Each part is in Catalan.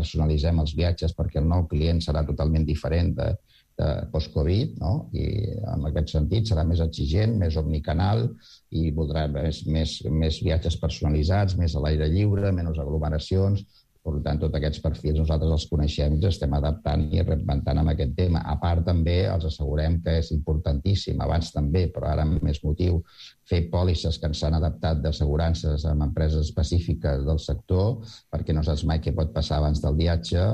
personalitzem els viatges perquè el nou client serà totalment diferent de post-Covid, no? I en aquest sentit serà més exigent, més omnicanal i voldrà més viatges personalitzats, més a l'aire lliure, menys aglomeracions. Per tant, tots aquests perfils nosaltres els coneixem i ens estem adaptant i reinventant amb aquest tema. A part, també els assegurem que és importantíssim, abans també, però ara amb més motiu, fer pòlisses que ens han adaptat d'assegurances amb empreses específiques del sector, perquè no saps mai què pot passar abans del viatge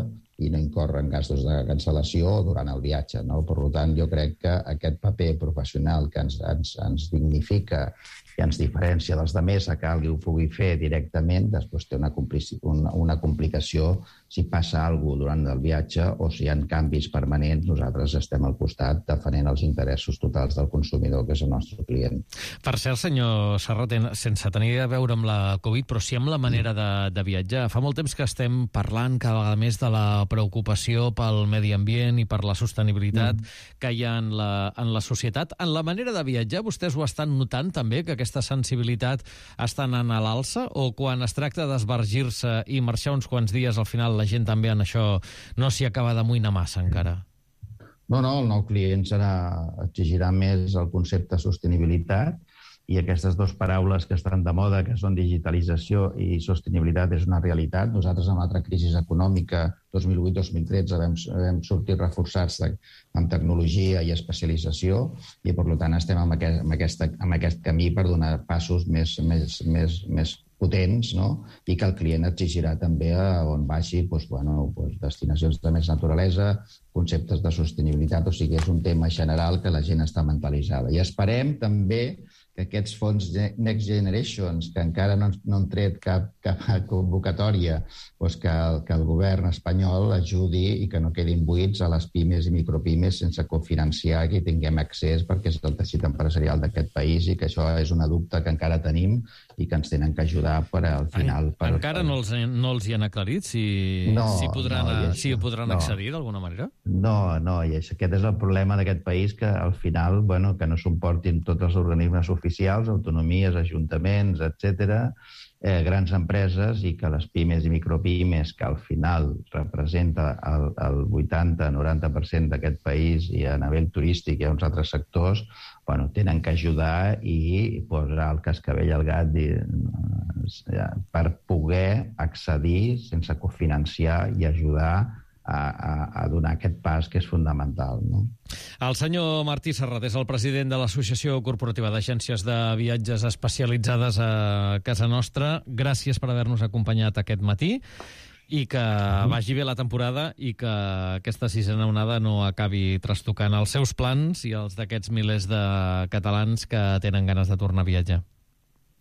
i no incorren gastos de cancel·lació durant el viatge, no? Per tant, jo crec que aquest paper professional que ens dignifica i ens diferència dels altres a que algú ho pugui fer directament, després té una complicació si passa alguna cosa durant el viatge o si hi ha canvis permanents, nosaltres estem al costat defenent els interessos totals del consumidor, que és el nostre client. Per cert, senyor Serra, sense tenir a veure amb la Covid, però sí amb la manera de viatjar. Fa molt temps que estem parlant cada vegada més de la preocupació pel medi ambient i per la sostenibilitat que hi ha en la societat. En la manera de viatjar, vostès ho estan notant també, que aquesta sensibilitat està anant a l'alça, o quan es tracta d'esbargir-se i marxar uns quants dies, al final la gent també en això no s'hi acaba d'amoïnar massa encara? No, el nou client exigirà més el concepte sostenibilitat, i aquestes dues paraules que estan de moda, que són digitalització i sostenibilitat, és una realitat. Nosaltres, en l'altra crisi econòmica, 2008-2013, vam sortir reforçats en tecnologia i especialització i, per tant, estem en aquest camí per donar passos més potents, no? I que el client exigirà també on vagi destinacions de més naturalesa, conceptes de sostenibilitat, o sigui, és un tema general que la gent està mentalitzada. I esperem també que aquests fons Next Generations, que encara no han tret cap convocatòria, que el govern espanyol ajudi i que no quedin buits a les pimes i micropimes sense cofinanciar, que hi tinguem accés, perquè és el teixit empresarial d'aquest país i que això és una dubte que encara tenim i que ens tenen que ajudar per al final. Encara no els hi han aclarit si podran accedir d'alguna manera? No, i aquest és el problema d'aquest país, que al final, que no s'emportin tots els organismes oficials, autonomies, ajuntaments, etc., grans empreses, i que les pimes i micropimes, que al final representa el 80-90% d'aquest país, i a nivell turístic i a uns altres sectors, tenen que ajudar i posar el cascavell al gat per poder accedir sense cofinanciar i ajudar a donar aquest pas que és fundamental, no? El senyor Martí Serrat és el president de l'Associació Corporativa d'Agències de Viatges Especialitzades a casa nostra. Gràcies per haver-nos acompanyat aquest matí i que vagi bé la temporada i que aquesta sisena onada no acabi trastocant els seus plans i els d'aquests milers de catalans que tenen ganes de tornar a viatjar.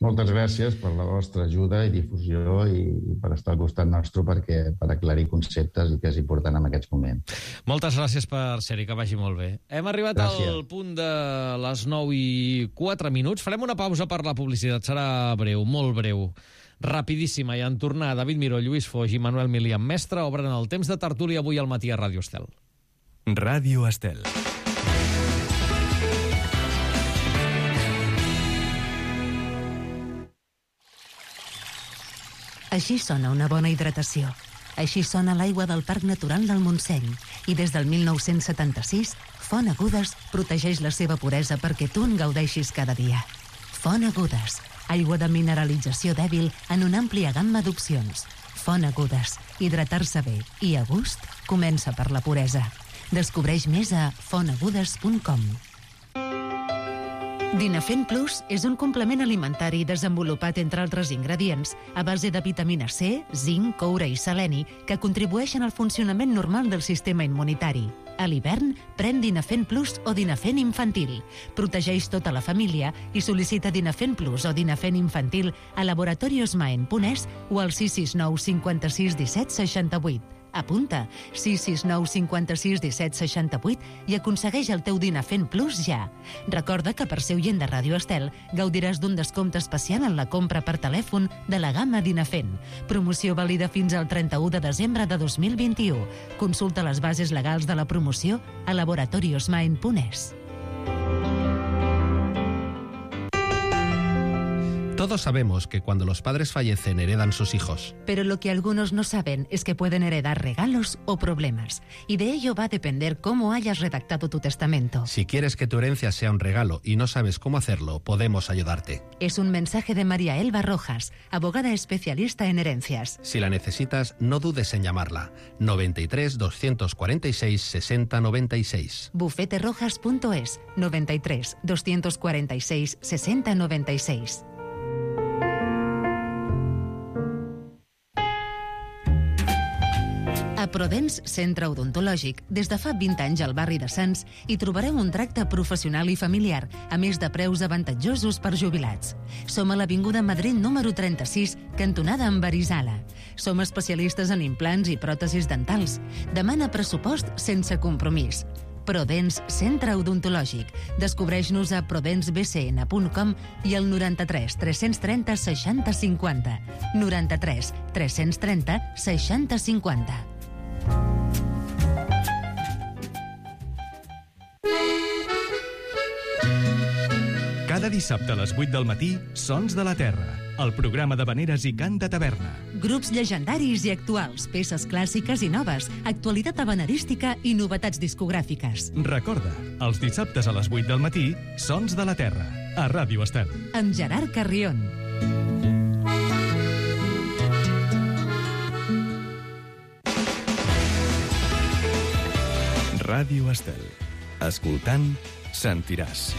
Moltes gràcies per la vostra ajuda i difusió i per estar al costat nostre per aclarir conceptes i que és important en aquests moments. Moltes gràcies per ser-hi, que vagi molt bé. Hem arribat al punt de les 9:04. Farem una pausa per la publicitat. Serà breu, molt breu, rapidíssima, i en tornar David Miró, Lluís Foix i Manuel Milian Mestre obren el temps de tertúlia avui al matí a Ràdio Estel. Ràdio Estel. Així sona una bona hidratació. Així sona l'aigua del Parc Natural del Montseny. I des del 1976, Font Agudes protegeix la seva puresa perquè tu en gaudeixis cada dia. Font Agudes, aigua de mineralització dèbil en una àmplia gamma d'opcions. Font Agudes, hidratar-se bé i a gust comença per la puresa. Descobreix més a fontagudes.com. Dinafent Plus és un complement alimentari desenvolupat, entre altres ingredients, a base de vitamina C, zinc, coure i seleni, que contribueixen al funcionament normal del sistema immunitari. A l'hivern, pren Dinafent Plus o Dinafent Infantil. Protegeix tota la família i sol·licita Dinafent Plus o Dinafent Infantil a laboratoriosmaen.es o al 669 56 17 68. Apunta 669 56 17 68 i aconsegueix el teu Dinafent Plus ja. Recorda que per ser oient de Ràdio Estel gaudiràs d'un descompte especial en la compra per telèfon de la gamma Dinafent. Promoció vàlida fins al 31 de desembre de 2021. Consulta les bases legals de la promoció a laboratoriosmaen.es. Todos sabemos que cuando los padres fallecen heredan sus hijos. Pero lo que algunos no saben es que pueden heredar regalos o problemas. Y de ello va a depender cómo hayas redactado tu testamento. Si quieres que tu herencia sea un regalo y no sabes cómo hacerlo, podemos ayudarte. Es un mensaje de María Elba Rojas, abogada especialista en herencias. Si la necesitas, no dudes en llamarla. 93 246 60 96. bufeterojas.es 93 246 60 96. A Prodens Centre Odontològic, des de fa 20 anys al barri de Sants, hi trobareu un tracte professional i familiar, a més de preus avantatjosos per jubilats. Som a l'Avinguda Madrid número 36, cantonada amb Arizala. Som especialistes en implants i pròtesis dentals. Demana pressupost sense compromís. Prodens Centre Odontològic. Descobreix-nos a prodensbcn.com i al 93 330 60 50. 93 330 60 50. Cada dissabte a les 8 del matí, Sons de la Terra, el programa d'havaneres i cant de taverna. Grups llegendaris i actuals, peces clàssiques i noves, actualitat havanerística i novetats discogràfiques. Recorda, els dissabtes a les 8 del matí, Sons de la Terra, a Ràdio Estel. Amb Gerard Carrion. Ràdio Estel. Escoltant, sentiràs.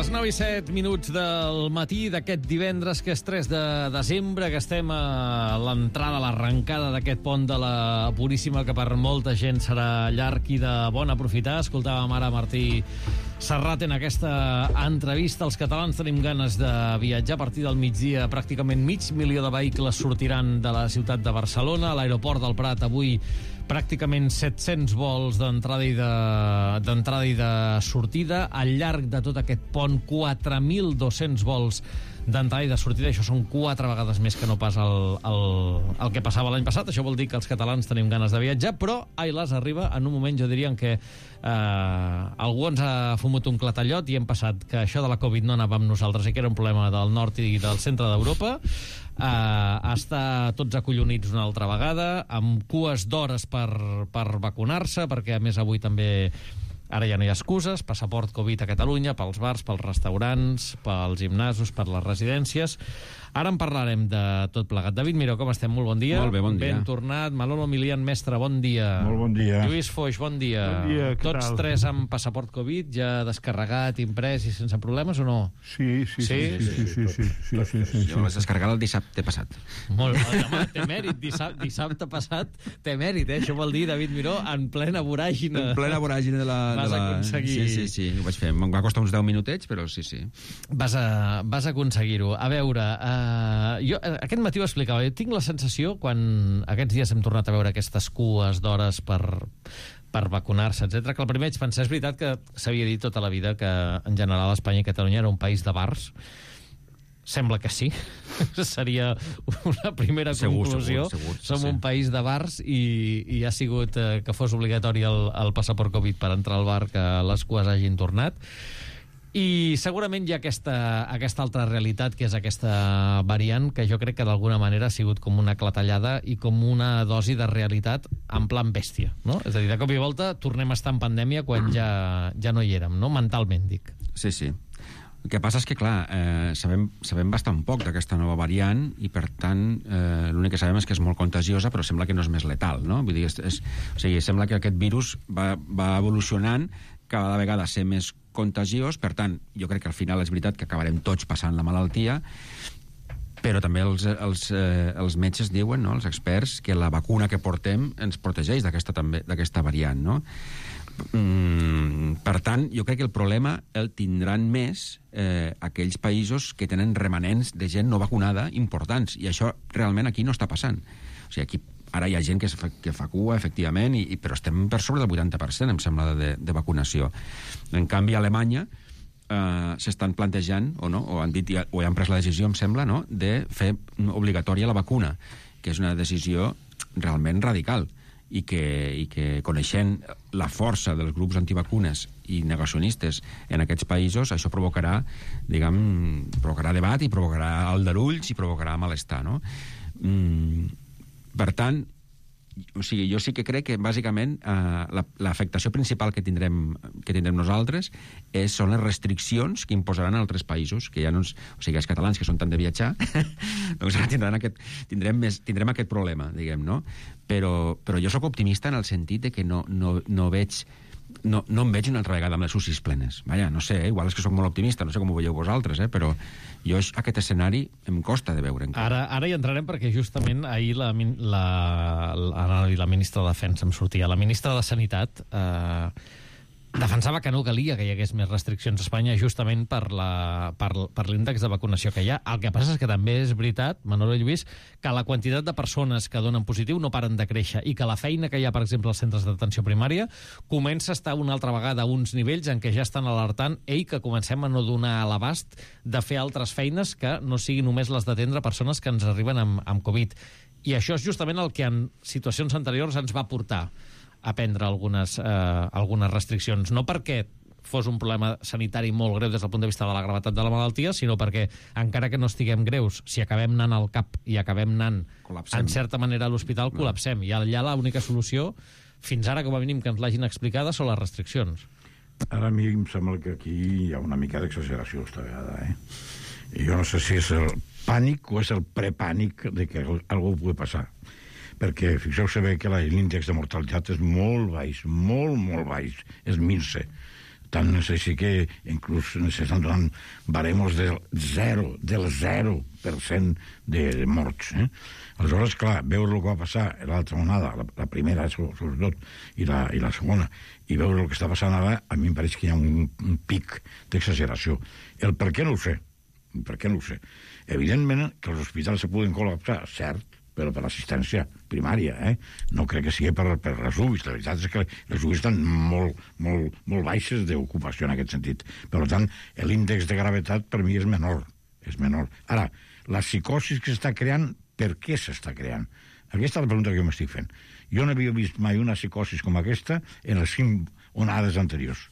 Les 9 i 7 minuts del matí d'aquest divendres, que és 3 de desembre, que estem a l'entrada, a l'arrencada d'aquest pont de la Puríssima, que per molta gent serà llarg i de bon aprofitar. Escoltàvem ara Martí Serrat en aquesta entrevista. Els catalans tenim ganes de viatjar. A partir del migdia, pràcticament 500.000 de vehicles sortiran de la ciutat de Barcelona. A l'aeroport del Prat avui pràcticament 700 vols d'entrada i de sortida. Al llarg de tot aquest pont, 4.200 vols d'entrada i de sortida. Això són 4 vegades més que no pas el que passava l'any passat. Això vol dir que els catalans tenim ganes de viatjar, però ai las, arriba en un moment, jo diria, en què algú ens ha fumut un clatallot i hem passat que això de la Covid no anava amb nosaltres i que era un problema del nord i del centre d'Europa, a estar tots acollonits una altra vegada, amb cues d'hores per vacunar-se, perquè a més avui també ara ja no hi ha excuses, passaport Covid a Catalunya, pels bars, pels restaurants, pels gimnasos, per les residències. Ara en parlarem de tot plegat. David Miró, com estem? Molt bon dia. Molt bé, bon dia. Ben tornat. Manolo Milian, mestre, bon dia. Molt bon dia. Lluís Foix, bon dia. Bon dia, què Tots tal? 3 amb passaport Covid, ja descarregat, imprès i sense problemes o no? Sí. Jo l'he descarregat el dissabte passat. Molt bé, home, té mèrit. Dissabte passat té mèrit, Això vol dir, David Miró, en plena voràgina. En plena voràgina de la... Vas aconseguir... Sí, ho vaig fer. Em va costar uns 10 minutets, però sí. Vas aconseguir-ho. A veure, jo aquest matí ho explicava. Jo tinc la sensació, quan aquests dies hem tornat a veure aquestes cues d'hores per vacunar-se, etc., que al primer vaig pensar, és veritat que s'havia dit tota la vida que en general Espanya i Catalunya era un país de bars. Sembla que sí. Seria una primera conclusió. Segur, Som sí. un país de bars i ha sigut que fos obligatori el passaport Covid per entrar al bar, que les cues hagin tornat. I segurament hi ha aquesta altra realitat, que és aquesta variant, que jo crec que d'alguna manera ha sigut com una clatellada i com una dosi de realitat en plan bèstia, no? És a dir, de cop i volta tornem a estar en pandèmia quan ja no hi érem, no? Mentalment, dic. Sí. El que passa és que, clar, sabem bastant poc d'aquesta nova variant i, per tant, l'únic que sabem és que és molt contagiosa, però sembla que no és més letal, no? Vull dir, o sigui, sembla que aquest virus va evolucionant cada vegada a ser més contagiós, per tant, jo crec que al final és veritat que acabarem tots passant la malaltia, però també els metges diuen, no, els experts, que la vacuna que portem ens protegeix d'aquesta variant, no? Per tant, jo crec que el problema el tindran més aquells països que tenen remanents de gent no vacunada importants, i això realment aquí no està passant. O sigui, aquí Ara hi ha gent que fa cua, efectivament, però estem per sobre del 80%, em sembla, de vacunació. En canvi, a Alemanya s'estan plantejant, o han dit, o han pres la decisió, em sembla, no?, de fer obligatòria la vacuna, que és una decisió realment radical, i que coneixent la força dels grups antivacunes i negacionistes en aquests països, això provocarà debat i provocarà aldarulls i provocarà malestar, no? Per tant, o sigui, jo sí que crec que bàsicament l'afectació principal que tindrem nosaltres són les restriccions que imposaran a altres països, que ja no o sigui, els catalans que són tant de viatjar doncs ara tindrem aquest problema, diguem, no? Però jo sóc optimista en el sentit de que no em veig una altra vegada amb les UCIs plenes. Vaja, no sé, igual és que sóc molt optimista, no sé com ho veieu vosaltres, però jo aquest escenari em costa de veure. Ara hi entrarem perquè justament ahir la ministra de Defensa em sortia. La ministra de Sanitat defensava que no calia que hi hagués més restriccions a Espanya justament per l'índex de vacunació que hi ha. El que passa és que també és veritat, Manolo i Lluís, que la quantitat de persones que donen positiu no paren de créixer i que la feina que hi ha, per exemple, als centres d'atenció primària comença a estar una altra vegada a uns nivells en què ja estan alertant que comencem a no donar a l'abast de fer altres feines que no siguin només les d'atendre persones que ens arriben amb Covid. I això és justament el que en situacions anteriors ens va portar a prendre algunes restriccions, no perquè fos un problema sanitari molt greu des del punt de vista de la gravetat de la malaltia, sinó perquè, encara que no estiguem greus, si acabem anant al CAP i acabem anant, en certa manera, a l'hospital, col·lapsem. I allà l'única solució, fins ara, com a mínim, que ens l'hagin explicada, són les restriccions. Ara a mi em sembla que aquí hi ha una mica d'exageració esta vegada, I jo no sé si és el pànic o és el prepànic de que algú pugui passar. Perquè fixeu-se bé que l'índex de mortalitat és molt baix, molt baix, és minse. Tant és així que inclús s'estan donant baremos del 0% de morts. Aleshores, clar, veure el que va passar l'altra onada, la primera sobretot, i la segona, i veure el que està passant ara, a mi em pareix que hi ha un pic d'exageració. El per què no ho sé. Evidentment que els hospitals se poden col·lapsar, cert, però per l'assistència primària, No crec que sigui per les UBIs. La veritat és que les UBIs estan molt baixes d'ocupació en aquest sentit. Per tant, l'índex de gravetat per mi és menor. Ara, la psicosi que s'està creant, per què s'està creant? Aquesta és la pregunta que jo m'estic fent. Jo no havia vist mai una psicosi com aquesta en les 5 onades anteriors.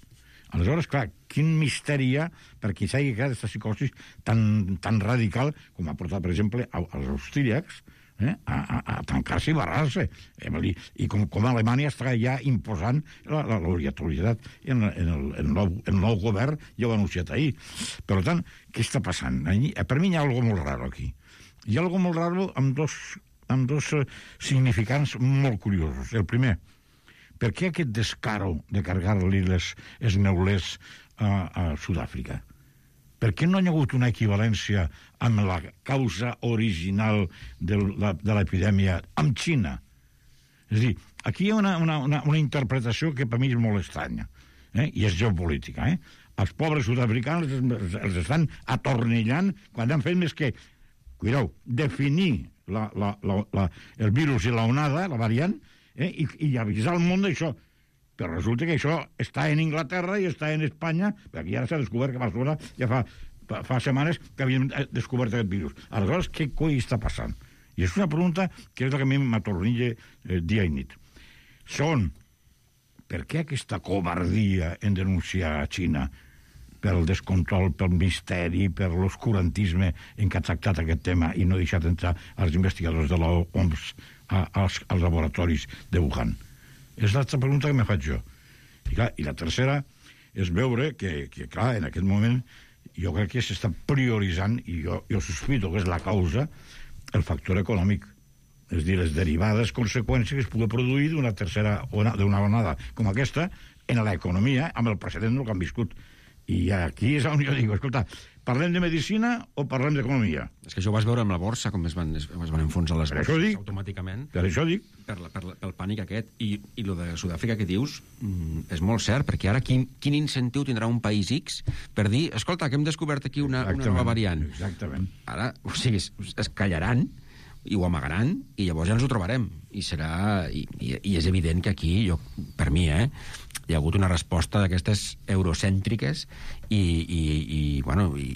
Aleshores, clar, quin misteri hi ha perquè s'hagi creat aquesta psicosi tan radical com ha portat, per exemple, als austríacs a tancar-se i barrar-se. I com Alemanya està ja imposant l'obligatorietat en el nou govern, ja ho ha anunciat ahir. Per tant, què està passant? Per mi hi ha alguna cosa molt raro aquí. Hi ha alguna cosa molt raro amb dos significants molt curiosos. El primer, per què aquest descaro de carregar-li els neulers a Sud-àfrica? Per què no hi ha hagut una equivalència amb la causa original de l'epidèmia amb Xina? És a dir, aquí hi ha una interpretació que per mi és molt estranya, i és geopolítica. Els pobres sud-africans els estan atornillant quan han fet més que, cuideu, definir el virus i l'onada, la variant, i avisar el món d'això. Però resulta que això està en Inglaterra i està en Espanya, perquè ara s'ha descobert que a Barcelona ja fa setmanes que havien descobert aquest virus. Aleshores, què coi està passant? I és una pregunta que és la que a mi m'atornilla dia i nit. Segon, per què aquesta covardia en denunciar a Xina pel descontrol, pel misteri, per l'oscurantisme en què ha tractat aquest tema i no ha deixat entrar els investigadors de l'OMS als laboratoris de Wuhan? És l'altra pregunta que me faig jo. I la tercera és veure que, clar, en aquest moment jo crec que s'està prioritzant, i jo sospito que és la causa, el factor econòmic. És a dir, les derivades conseqüències que es pugui produir d'una onada com aquesta en l'economia, amb el precedent del que han viscut. I aquí és on jo dic, escolta, parlem de medicina o parlem d'economia? És que això ho vas veure amb la borsa, com es van enfonsar les borses automàticament. Per això dic. Pel pànic aquest. I el de Sud-àfrica que dius és molt cert, perquè ara quin incentiu tindrà un país X per dir, escolta, que hem descobert aquí una nova variant. Exactament. Ara, o sigui, es callaran i ho amagaran, i llavors ja ens ho trobarem. I és evident que aquí, per mi, hi ha hagut una resposta d'aquestes eurocèntriques i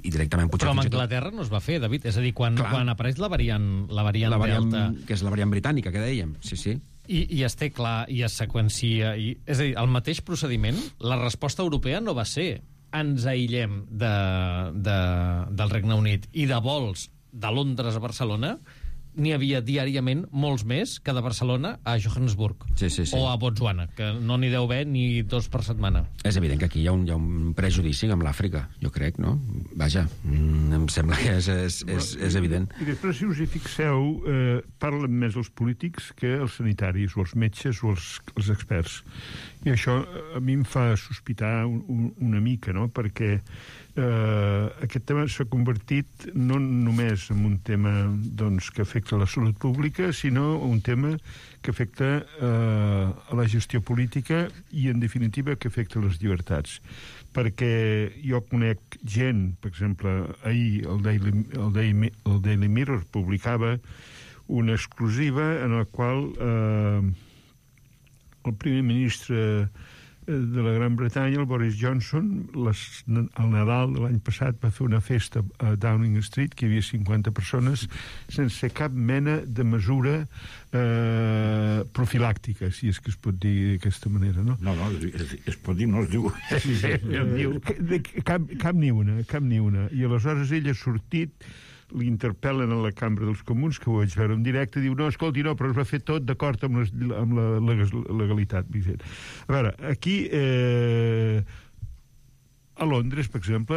directament... Però amb Anglaterra no es va fer, David. És a dir, quan apareix la variant Delta... Que és la variant britànica, que dèiem, sí. I es té clar, i es seqüencia... És a dir, el mateix procediment, la resposta europea no va ser ens aïllem del Regne Unit i de vols de Londres a Barcelona n'hi havia diàriament molts més que de Barcelona a Johannesburg o a Botswana, que no n'hi deu haver ni 2 per setmana. És evident que aquí hi ha un prejudici amb l'Àfrica, jo crec, no? Vaja, em sembla que és evident. I després, si us hi fixeu, parlen més els polítics que els sanitaris, o els metges, o els experts. I això a mi em fa sospitar una mica, no?, perquè aquest tema s'ha convertit no només en un tema que afecta la salut pública, sinó un tema que afecta a la gestió política i, en definitiva, que afecta les llibertats. Perquè jo conec gent, per exemple, ahir el Daily Mirror publicava una exclusiva en la qual el primer ministre de la Gran Bretanya, el Boris Johnson, al Nadal de l'any passat va fer una festa a Downing Street, que hi havia 50 persones, sense cap mena de mesura profilàctica, si és que es pot dir d'aquesta manera, no? No, es pot dir, no es diu. Cap ni una. I aleshores ell ha sortit, l'interpel·len a la Cambra dels Comuns, que ho vaig veure en directe, diu, no, escolti, no, però es va fer tot d'acord amb la legalitat. A veure, aquí a Londres, per exemple,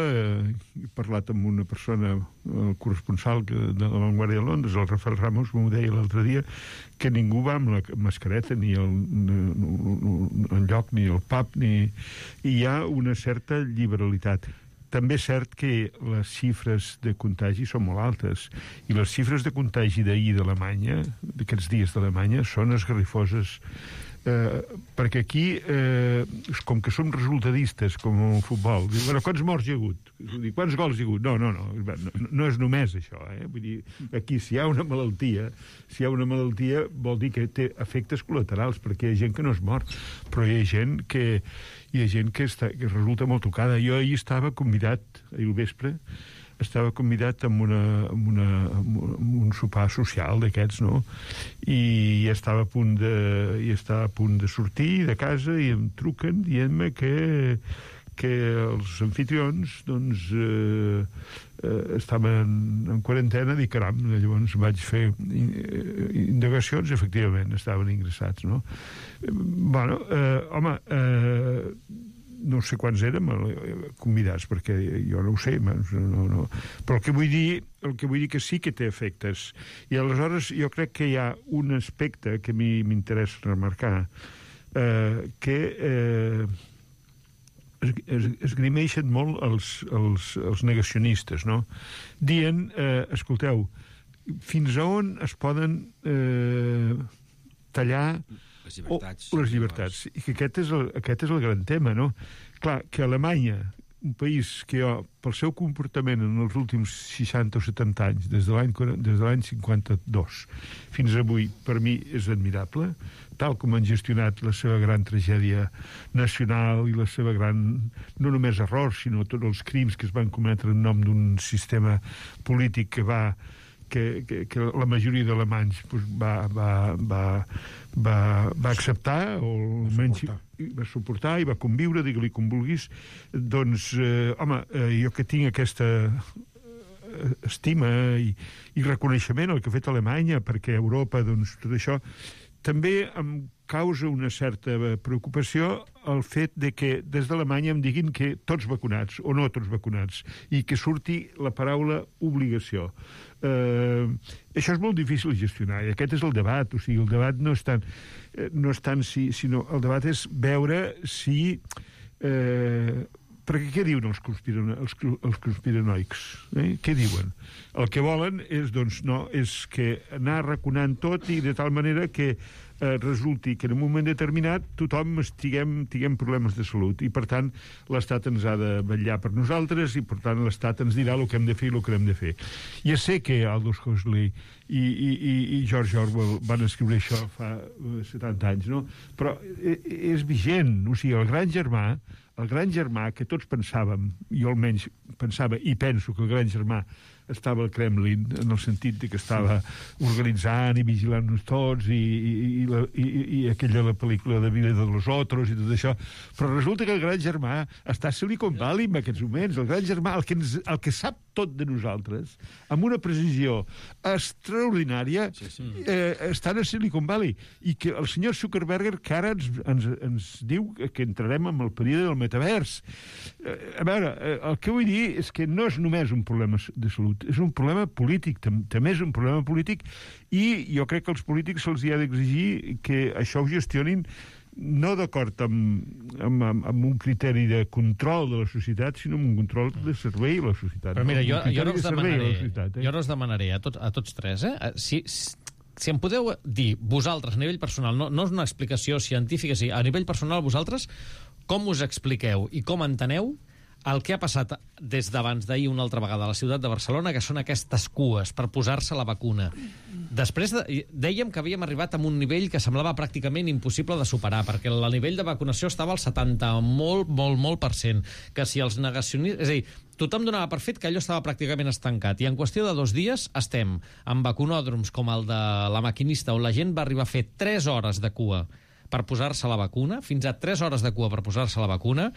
he parlat amb una persona, el corresponsal de la Vanguardia de Londres, el Rafael Ramos, m'ho deia l'altre dia, que ningú va amb la mascareta ni enlloc, ni al pub, i hi ha una certa liberalitat. També és cert que les xifres de contagi són molt altes, i les xifres de contagi d'ahir d'Alemanya, d'aquests dies d'Alemanya, són esgarrifoses, perquè aquí, com que som resultadistes, com el futbol, diu, bueno, quants morts hi ha hagut? Quants gols hi ha hagut? No és només això, Vull dir, aquí, si hi ha una malaltia, vol dir que té efectes col·laterals, perquè hi ha gent que no es mor, però hi ha gent que resulta molt tocada. Jo ahir estava convidat, ahir al vespre, amb un sopar social d'aquests, no? I estava a punt de sortir de casa i em truquen dient-me que els anfitrions estaven en quarantena. Dic, caram, llavors vaig fer indagacions, efectivament estaven ingressats, no? Bueno, home, no sé quants érem convidats, perquè jo no ho sé, no. Però el que vull dir que sí que té efectes. I aleshores jo crec que hi ha un aspecte que a mi m'interessa remarcar, que esgrimeixen molt els negacionistes, no? Dient, escolteu, fins a on es poden tallar les llibertats. I que aquest és el gran tema, no? Clar, que Alemanya, un país que jo, pel seu comportament en els últims 60 o 70 anys, des de l'any 52 fins avui, per mi és admirable, tal com han gestionat la seva gran tragèdia nacional i la seva gran, no només errors, sinó tots els crims que es van cometre en nom d'un sistema polític que la majoria d'alemanys va acceptar, o almenys va suportar i va conviure, digue-li com vulguis. Doncs, home, jo que tinc aquesta estima i reconeixement al que ha fet Alemanya, perquè Europa, doncs, tot això, també em causa una certa preocupació el fet de que des d'Alemanya em diguin que tots vacunats o no tots vacunats, i que surti la paraula obligació. Això és molt difícil de gestionar, i aquest és el debat. O sigui, el debat no és tant si, sinó el debat és veure si Perquè què diuen els conspiranoics? Què diuen? El que volen és, doncs, no, és que anar raconant tot i de tal manera que resulti que en un moment determinat tothom tinguem problemes de salut i, per tant, l'Estat ens ha de vetllar per nosaltres i, per tant, l'Estat ens dirà el que hem de fer i el que hem de fer. Ja sé que Aldous Huxley i George Orwell van escriure això fa 70 anys, no? Però és vigent. O sigui, el gran germà que tots pensàvem, jo almenys pensava i penso que el gran germà estava al Kremlin, en el sentit de que estava organitzant i vigilant-nos tots i aquella la pel·lícula de Vida de los Otros i tot això, però resulta que el gran germà està a Silicon Valley en aquests moments. El gran germà, el que sap tot de nosaltres, amb una precisió extraordinària, estan a Silicon Valley, i que el senyor Zuckerberg que ara ens diu que entrarem en el període del metavers. A veure, el que vull dir és que no és només un problema de salut, és un problema polític, també és un problema polític, i jo crec que als polítics se'ls ha d'exigir que això ho gestionin no d'acord amb un criteri de control de la societat, sinó amb un control de servei a la societat. Però mira, jo no us demanaré a tots tres, si em podeu dir, vosaltres, a nivell personal, no és una explicació científica, sí, a nivell personal, vosaltres, com us expliqueu i com enteneu el que ha passat des d'abans d'ahir una altra vegada a la ciutat de Barcelona, que són aquestes cues per posar-se la vacuna. Després dèiem que havíem arribat a un nivell que semblava pràcticament impossible de superar, perquè el nivell de vacunació estava al 70%, molt, que si els negacionistes... És a dir, tothom donava per fet que allò estava pràcticament estancat, i en qüestió de 2 dies estem en vacunòdroms com el de la Maquinista, on la gent va arribar a fer 3 hores de cua per posar-se la vacuna, fins a 3 hores de cua per posar-se la vacuna,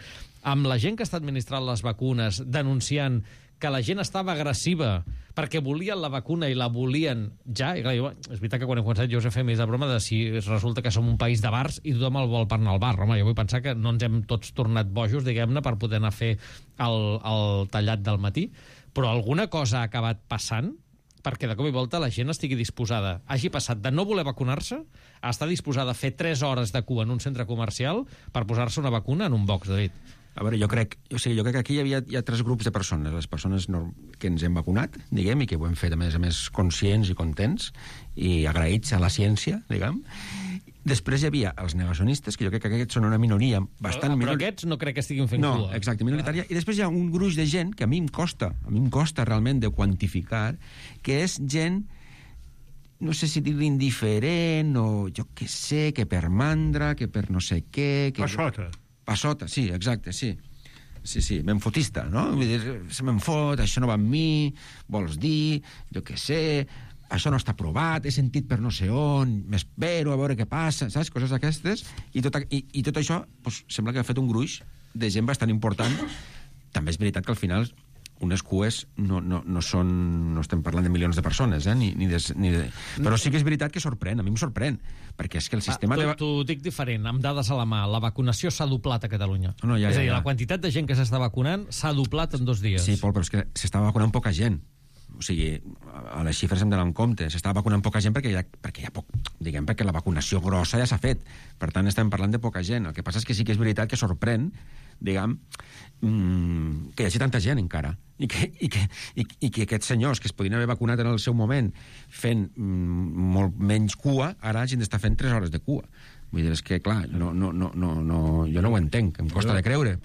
amb la gent que està administrant les vacunes denunciant que la gent estava agressiva perquè volien la vacuna i la volien ja. I clar, és veritat que quan he començat jo us he fet més de broma de si resulta que som un país de bars i tothom el vol per anar al bar. Home, jo vull pensar que no ens hem tots tornat bojos, diguem-ne, per poder anar a fer el tallat del matí, però alguna cosa ha acabat passant perquè de cop i volta la gent estigui disposada, hagi passat de no voler vacunar-se a estar disposada a fer 3 hores de cua en un centre comercial per posar-se una vacuna en un box, David. A veure, jo crec que aquí hi ha 3 grups de persones. Les persones que ens hem vacunat, diguem, i que ho hem fet, a més, conscients i contents, i agraïts a la ciència, diguem. Després hi havia els negacionistes, que jo crec que aquests són una minoria bastant... Però aquests no crec que estiguin fent cua. No, exacte, minoritària. I després hi ha un gruix de gent que a mi em costa realment de quantificar, que és gent, no sé si dir-li indiferent, o jo què sé, que per mandra, que per no sé què... Passota, sí, exacte, sí. Sí, menfotista, no? Vull dir, se me'n fot, això no va amb mi, vols dir, jo què sé, això no està aprovat, he sentit per no sé on, m'espero a veure què passa, saps? Coses d'aquestes, i tot això pues, sembla que ha fet un gruix de gent bastant important. També és veritat que al final unes cues no estem parlant de milions de persones, però sí que és veritat que sorprèn, a mi em sorprèn, perquè és que el sistema... T'ho dic diferent, amb dades a la mà, la vacunació s'ha doblat a Catalunya. És a dir, la quantitat de gent que s'està vacunant s'ha doblat en 2 dies. Sí, Pol, però és que s'està vacunant poca gent. O sigui, a les xifres hem d'anar en compte. S'està vacunant poca gent perquè hi ha poc, diguem, perquè la vacunació grossa ja s'ha fet. Per tant, estem parlant de poca gent. El que passa és que sí que és veritat que sorprèn, diguem, que hi hagi tanta gent encara. I que aquests senyors que es podien haver vacunat en el seu moment fent molt menys cua, ara hagin d'estar fent 3 hores de cua. Vull dir, és que, clar, jo no ho entenc, em costa de creure.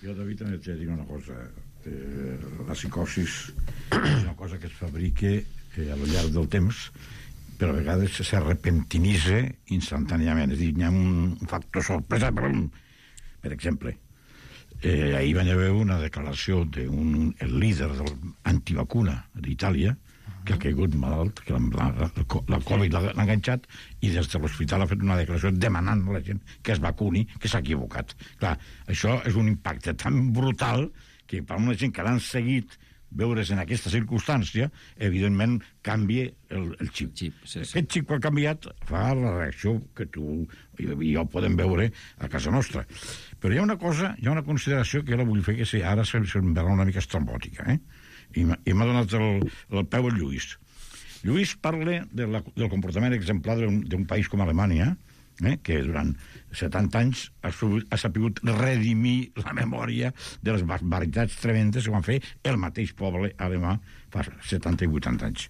Jo, David, també t'he de dir una cosa. La psicosis és una cosa que es fabrica a lo llarg del temps, però a vegades se repentinitza instantàniament. És a dir, hi ha un factor sorpresa. Per exemple, ahir va haver una declaració del líder de l'antivacuna d'Itàlia, que ha caigut malalt, que la Covid l'ha enganxat, i des de l'hospital ha fet una declaració demanant a la gent que es vacuni, que s'ha equivocat. Clar, això és un impacte tan brutal que per una gent que l'han seguit veure's en aquesta circumstància, evidentment canvia el xip. Aquest xip que ha canviat fa la reacció que tu i jo podem veure a casa nostra. Però hi ha una cosa, hi ha una consideració que jo la vull fer, que ara se'm verà una mica estrambòtica, i m'ha donat el peu el Lluís. Lluís parla del comportament exemplar d'un país com Alemanya, que durant 70 anys ha sabut redimir la memòria de les barbaritats tremendes que van fer el mateix poble alemà fa 70 i 80 anys.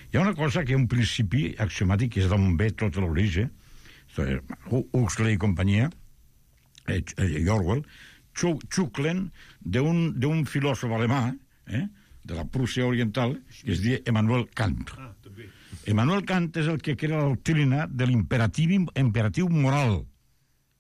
Hi ha una cosa que és un principi axiomàtic, que és d'on ve tot l'origen. Huxley i companyia, Orwell, xuclen d'un filòsof alemà, de la Prússia Oriental, que es diu Immanuel Kant. Immanuel Kant és el que crea la doctrina de l'imperatiu moral,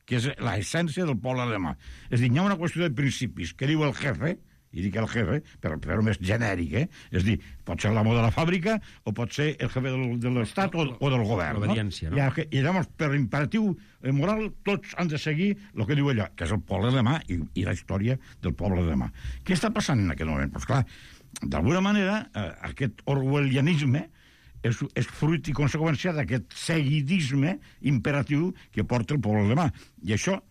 que és l'essència del poble alemà. És a dir, hi ha una qüestió de principis que diu el jefe, i dic el jefe, però més genèric, és a dir, pot ser l'amo de la fàbrica o pot ser el jefe de l'Estat o del govern. L'obediència, no? I llavors, per imperatiu moral, tots han de seguir el que diu allò, que és el poble alemà i la història del poble alemà. Què està passant en aquest moment? Doncs clar, d'alguna manera, aquest orwellianisme és fruit i conseqüència d'aquest seguidisme imperatiu que porta el poble alemà. I això,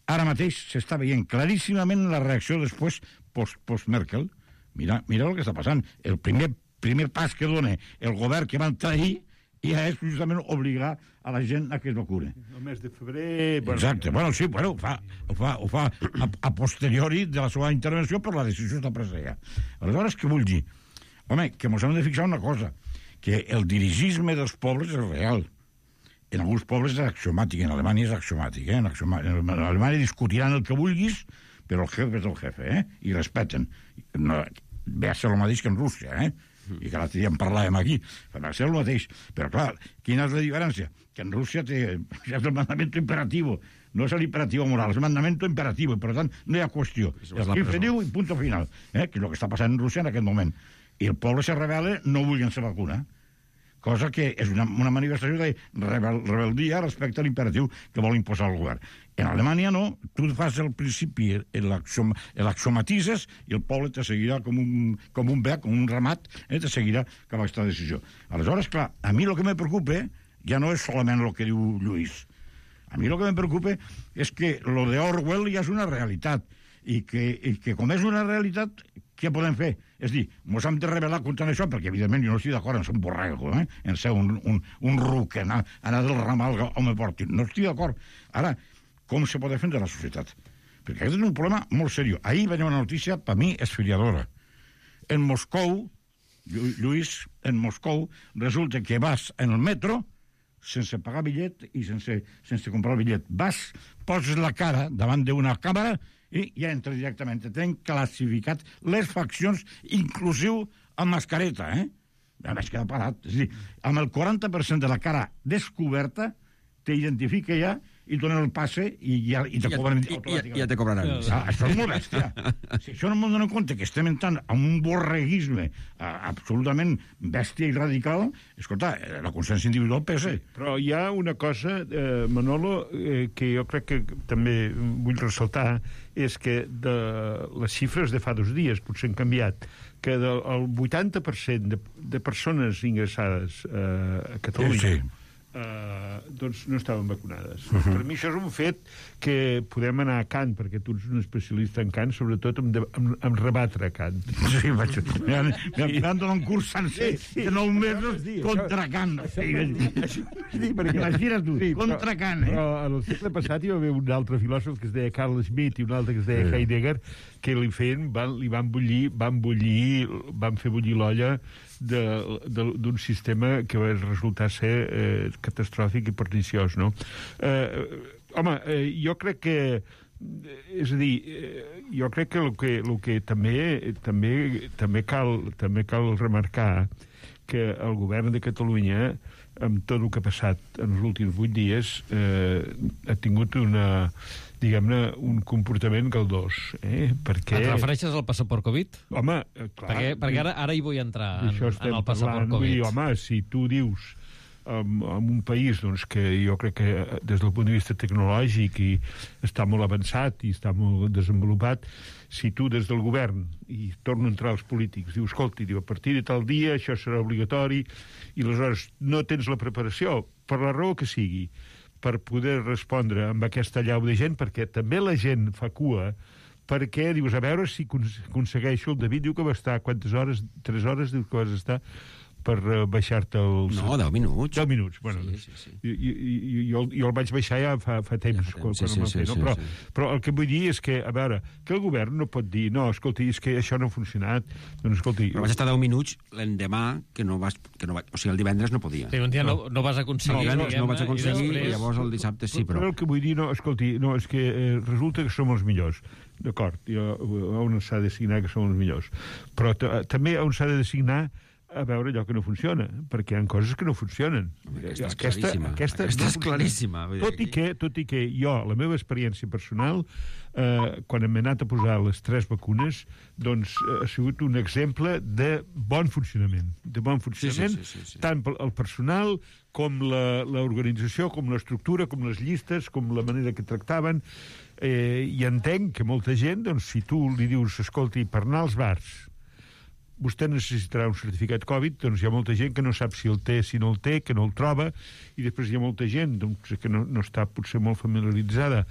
ara mateix, s'està veient claríssimament la reacció després post-Merkel. Mira el que està passant. El primer pas que dona el govern que van trair ja és justament obligar a la gent a que es vacune. El mes de febrer... Exacte. Sí, ho fa a posteriori de la seva intervenció, però la decisió està presa ja. Aleshores, què vull dir? Home, que ens hem de fixar una cosa, que el dirigisme dels pobles és real. En alguns pobles és axiomàtic, en Alemanya és axiomàtic. En Alemanya discutiran el que vulguis, però el jefe és el jefe, i respeten. Ve a ser el mateix que en Rússia, i que l'altre dia en parlàvem aquí, va ser el mateix. Però, clar, quina és la diferència? Que en Rússia és el mandamento imperativo, no és l'imperativo moral, és el mandamento imperativo, i per tant no hi ha qüestió. El jefe diu i punt final, que és el que està passant en Rússia en aquest moment. I el poble se rebel·la no volent ser vacuna, cosa que és una manifestació de rebeldia respecte a l'imperatiu que vol imposar el govern. En Alemanya no, tu fas el principi, l'axiomatitzes i el poble te seguirà com un bec, com un ramat, te seguirà cap a aquesta decisió. Aleshores, clar, a mi el que me preocupa ja no és solament el que diu Lluís. A mi el que me preocupa és que lo de Orwell ja és una realitat i que com és una realitat, què podem fer? És dir, ens hem de rebel·lar contra això, perquè evidentment jo no estic d'acord en ser un borrego, en ser un ruc, anar del ramal on me portin. No estic d'acord. Ara, com se pot defendre la societat? Perquè aquest és un problema molt seriós. Ahir venia una notícia, per mi, esferiadora. En Moscou, Lluís, en Moscou, resulta que vas en el metro sense pagar bitllet i sense comprar el bitllet. Vas, poses la cara davant d'una càmera i ja entra directament. Tenen classificat les faccions, inclusiu amb mascareta, Ja vaig quedar parat. És a dir, amb el 40% de la cara descoberta t'identifica ja i donen el passe i te cobren automàticament. Ja te cobraran. Això és molt bèstia. Si això no m'ho donen compte que estem entrant en un borreguisme absolutament bèstia i radical, escolta, la consciència individual pesa. Però hi ha una cosa, Manolo, que jo crec que també vull ressaltar, és que de les xifres de fa 2 dies potser han canviat, que el 80% de persones ingressades a Catalunya doncs no estaven vacunades. Per mi això és un fet que podem anar a Kant, perquè tu ets un especialista en Kant, sobretot en rebatre Kant. Sí, m'han donat un curs sencer de 9 mesos contra Kant. Imagina't tu, contra Kant. Però en el segle passat hi va haver un altre filòsof que es deia Carl Schmitt i un altre que es deia Heidegger, que van fer bullir l'olla d'un sistema que va resultar ser catastròfic i perniciós, no? Home, jo crec que... És a dir, jo crec que el que també cal remarcar que el govern de Catalunya, amb tot el que ha passat en els últims 8 dies, ha tingut un comportament galdós. Perquè... Et refereixes al passaport Covid? Home, clar... Perquè ara hi vull entrar, en el passaport Covid. Home, si tu dius en un país doncs, que jo crec que des del punt de vista tecnològic i està molt avançat i està molt desenvolupat, si tu des del govern, i torno a entrar als polítics, dius, escolta, a partir de tal dia això serà obligatori, i aleshores no tens la preparació, per la raó que sigui, per poder respondre amb aquesta llau de gent, perquè també la gent fa cua, perquè dius, a veure si aconsegueixo, el David diu que va estar quantes hores, 3 hores, diu que vas estar, per baixar-te els... No, 10 minuts. 10 minuts, bueno. Sí. Jo el vaig baixar ja fa temps, quan ho vam fer, no? Però el que vull dir és que, a veure, que el govern no pot dir, no, escolti, és que això no ha funcionat, doncs escolti... Però vaig estar 10 minuts l'endemà, o sigui, el divendres no podia. Sí, un dia no vas aconseguir. No vaig aconseguir, i llavors el dissabte sí, però... Però el que vull dir, no, escolti, no, és que resulta que som els millors. D'acord, on s'ha de designar que som els millors. Però també on s'ha de designar a veure allò que no funciona, perquè hi ha coses que no funcionen. Aquesta és claríssima. Tot i que jo, la meva experiència personal, quan m'he anat a posar les 3 vacunes, doncs ha sigut un exemple de bon funcionament. Sí. Tant el personal com l'organització, com l'estructura, com les llistes, com la manera que tractaven. I entenc que molta gent, doncs, si tu li dius, escolti, per anar als bars vostè necessitarà un certificat Covid, doncs hi ha molta gent que no sap si el té, si no el té, que no el troba, i després hi ha molta gent doncs, que no està potser molt familiaritzada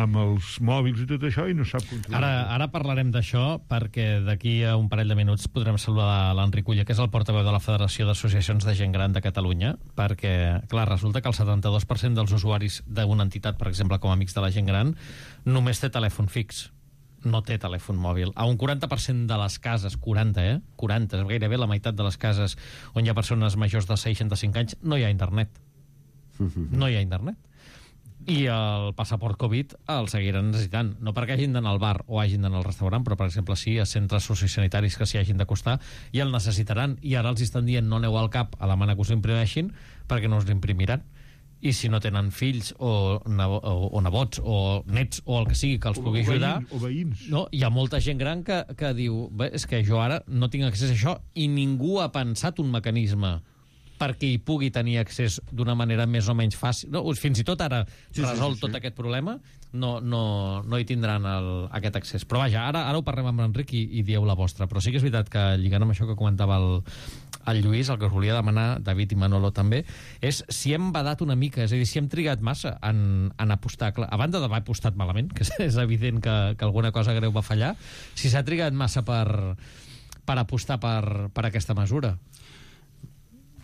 amb els mòbils i tot això i no sap controlar. Ara parlarem d'això, perquè d'aquí a un parell de minuts podrem saludar l'Enric Ulla, que és el portaveu de la Federació d'Associacions de Gent Gran de Catalunya, perquè, clar, resulta que el 72% dels usuaris d'una entitat, per exemple, com Amics de la Gent Gran, només té telèfon fix. No té telèfon mòbil. A un 40% de les cases, 40, 40, gairebé la meitat de les cases on hi ha persones majors de 65 anys, no hi ha internet. No hi ha internet. I el passaport Covid el seguiran necessitant. No perquè hagin d'anar al bar o hagin d'anar al restaurant, però, per exemple, sí, a centres sociosanitaris que s'hi hagin d'acostar i el necessitaran. I ara els estan dient no aneu al CAP a demanar que us l'imprimeixin perquè no us l'imprimiran. I si no tenen fills o nebots o nets o el que sigui que els pugui ajudar... O veïns. No, hi ha molta gent gran que diu és que jo ara no tinc accés a això i ningú ha pensat un mecanisme perquè hi pugui tenir accés d'una manera més o menys fàcil. No, fins i tot ara resolt tot aquest problema, no hi tindran aquest accés. Però vaja, ara ho parlem amb l'Enric i dieu la vostra. Però sí que és veritat que, lligant amb això que comentava el Lluís, el que us volia demanar, David i Manolo també, és si hem badat una mica, és a dir, si hem trigat massa en apostar. A banda d'haver apostat malament, que és evident que alguna cosa greu va fallar, si s'ha trigat massa per apostar per aquesta mesura.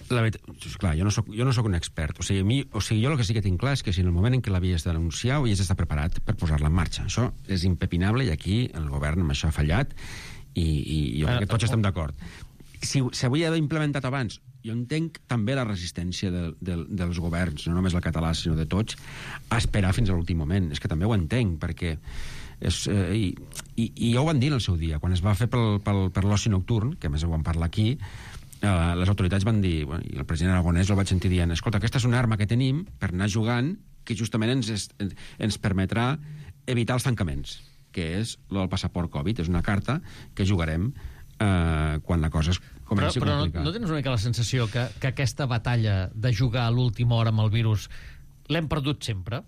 La veritat, clar, jo no soc un expert. O sigui, jo el que sí que tinc clar és que si en el moment en què l'havies d'anunciar havies d'estar preparat per posar-la en marxa. Això és impepinable i aquí el govern amb això ha fallat i jo crec que tots estem d'acord. Si s'havia d'haver implementat abans, jo entenc també la resistència dels governs, no només el català, sinó de tots, a esperar fins a l'últim moment. És que també ho entenc, perquè... I ja ho van dir en el seu dia, quan es va fer per l'oci nocturn, que a més ho vam parlar aquí, les autoritats van dir, i el president Aragonès el vaig sentir dient, escolta, aquesta és una arma que tenim per anar jugant que justament ens permetrà evitar els tancaments, que és el passaport Covid. És una carta que jugarem quan la cosa es comenci a complicar. Però no tens una mica la sensació que aquesta batalla de jugar a l'última hora amb el virus l'hem perdut sempre?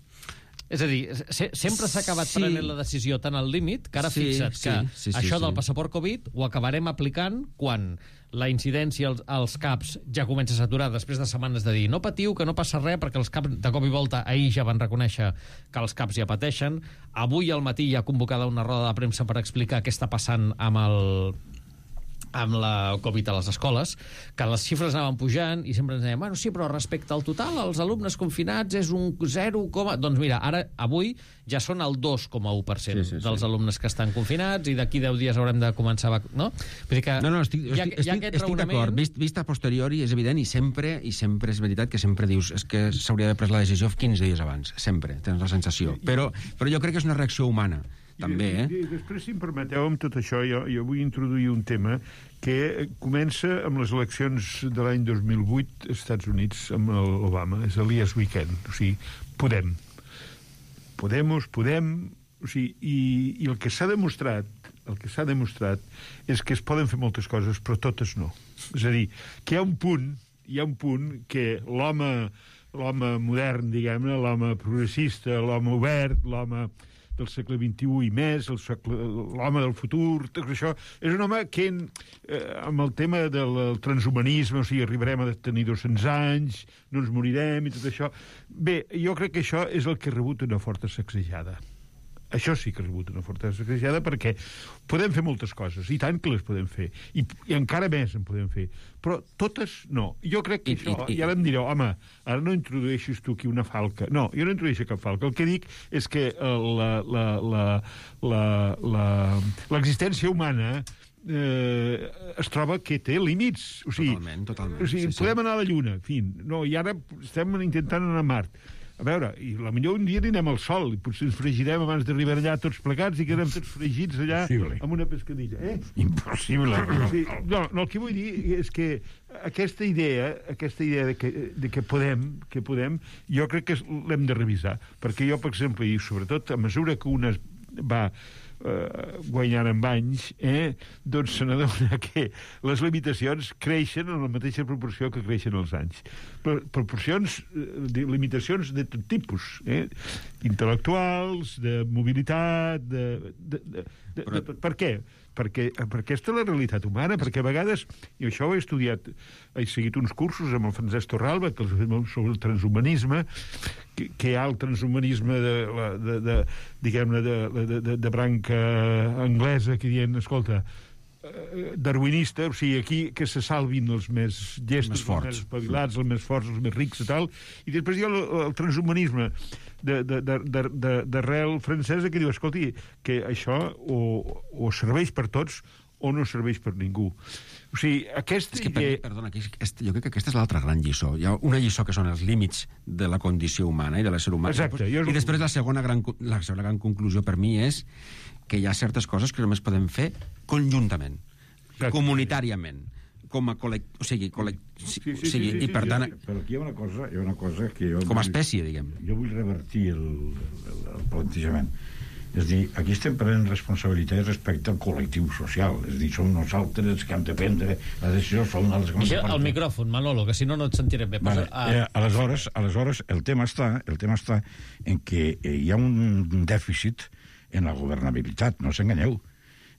És a dir, sempre s'ha acabat prenent la decisió tan al límit que ara fixa't que això del passaport Covid ho acabarem aplicant quan la incidència als CAPs ja comença a saturar després de setmanes de dir no patiu, que no passa res, perquè els CAPs de cop i volta ahir ja van reconèixer que els CAPs ja pateixen. Avui al matí hi ha convocada una roda de premsa per explicar què està passant amb la Covid a les escoles, que les xifres anaven pujant i sempre ens deien, bueno, sí, però respecte al total, els alumnes confinats és un 0, doncs mira, avui ja són el 2,1% dels alumnes que estan confinats i d'aquí 10 dies haurem de començar no? Vull dir que estic d'acord. Vist a posteriori és evident i sempre és veritat que sempre dius és que s'hauria d'haver pres la decisió 15 dies abans. Sempre, tens la sensació. Però jo crec que és una reacció humana. També, Després, si em permeteu, amb tot això, jo vull introduir un tema que comença amb les eleccions de l'any 2008 als Estats Units amb l'Obama. És el Yes Weekend. O sigui, podem. O sigui, i el que s'ha demostrat és que es poden fer moltes coses, però totes no. És a dir, que hi ha un punt que l'home modern, diguem-ne, l'home progressista, l'home obert, l'home del segle XXI i més, l'home del futur, tot això, és un home que amb el tema del transhumanisme, o sigui, arribarem a tenir 200 anys, no ens morirem i tot això. Bé, jo crec que això és el que ha rebut una forta sacsejada. Això sí que ha rebut una forta sacsejada, perquè podem fer moltes coses, i tant que les podem fer, i encara més en podem fer, però totes no. Jo crec que això, ja vam dir, home, ara no introdueixis tu aquí una falca. No, jo no introdueixo cap falca. El que dic és que l'existència humana es troba que té límits. O sigui, totalment. O sigui, podem anar a la Lluna, en fi, no, i ara estem intentant anar a Mart. A veure, i potser un dia anirem al sol, i potser ens fregirem abans d'arribar allà tots plegats i quedem tots fregits allà amb una pescadilla. Impossible. Sí, no, el que vull dir és que aquesta idea de que podem, jo crec que l'hem de revisar, perquè jo, per exemple, i sobretot a mesura que una va guanyant amb anys, doncs se n'adona que les limitacions creixen en la mateixa proporció que creixen els anys. Limitacions de tot tipus, intel·lectuals, de mobilitat, per què? Perquè aquesta és la realitat humana, perquè a vegades, i això ho he estudiat, he seguit uns cursos amb el Francesc Torralba sobre el transhumanisme, que hi ha el transhumanisme de branca anglesa, que diuen, escolta, darwinista, o sigui, aquí que se salvin els més llestos, els més espavilats, els més forts, els més rics i tal, i després hi ha el transhumanisme d'arrel francesa que diu, escolti, que això o serveix per tots o no serveix per ningú. O sigui, aquesta idea... Perdona, jo crec que aquesta és l'altra gran lliçó. Hi ha una lliçó que són els límits de la condició humana i de l'ésser humà. Exacte. I després la segona gran conclusió per mi és que hi ha certes coses que només podem fer conjuntament, comunitàriament, com a col·lectiu, i per tant... Però aquí hi ha una cosa que jo... Com a espècie, diguem. Jo vull revertir el plantejament. És a dir, aquí estem prenent responsabilitat respecte al col·lectiu social. És a dir, som nosaltres que hem de prendre la decisió, som els que... El micròfon, Manolo, que si no et sentirem bé. Vale. Aleshores, el tema està en que hi ha un dèficit en la governabilitat, no s'enganyeu.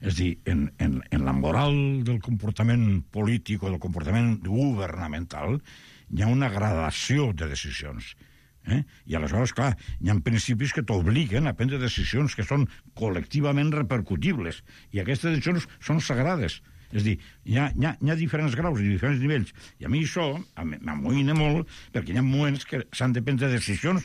És a dir, en la moral del comportament polític o del comportament governamental hi ha una gradació de decisions. I aleshores, clar, hi ha principis que t'obliguen a prendre decisions que són col·lectivament repercutibles, i aquestes decisions són sagrades. És a dir, hi ha diferents graus i diferents nivells, i a mi això m'amoïna molt, perquè hi ha moments que s'han de prendre decisions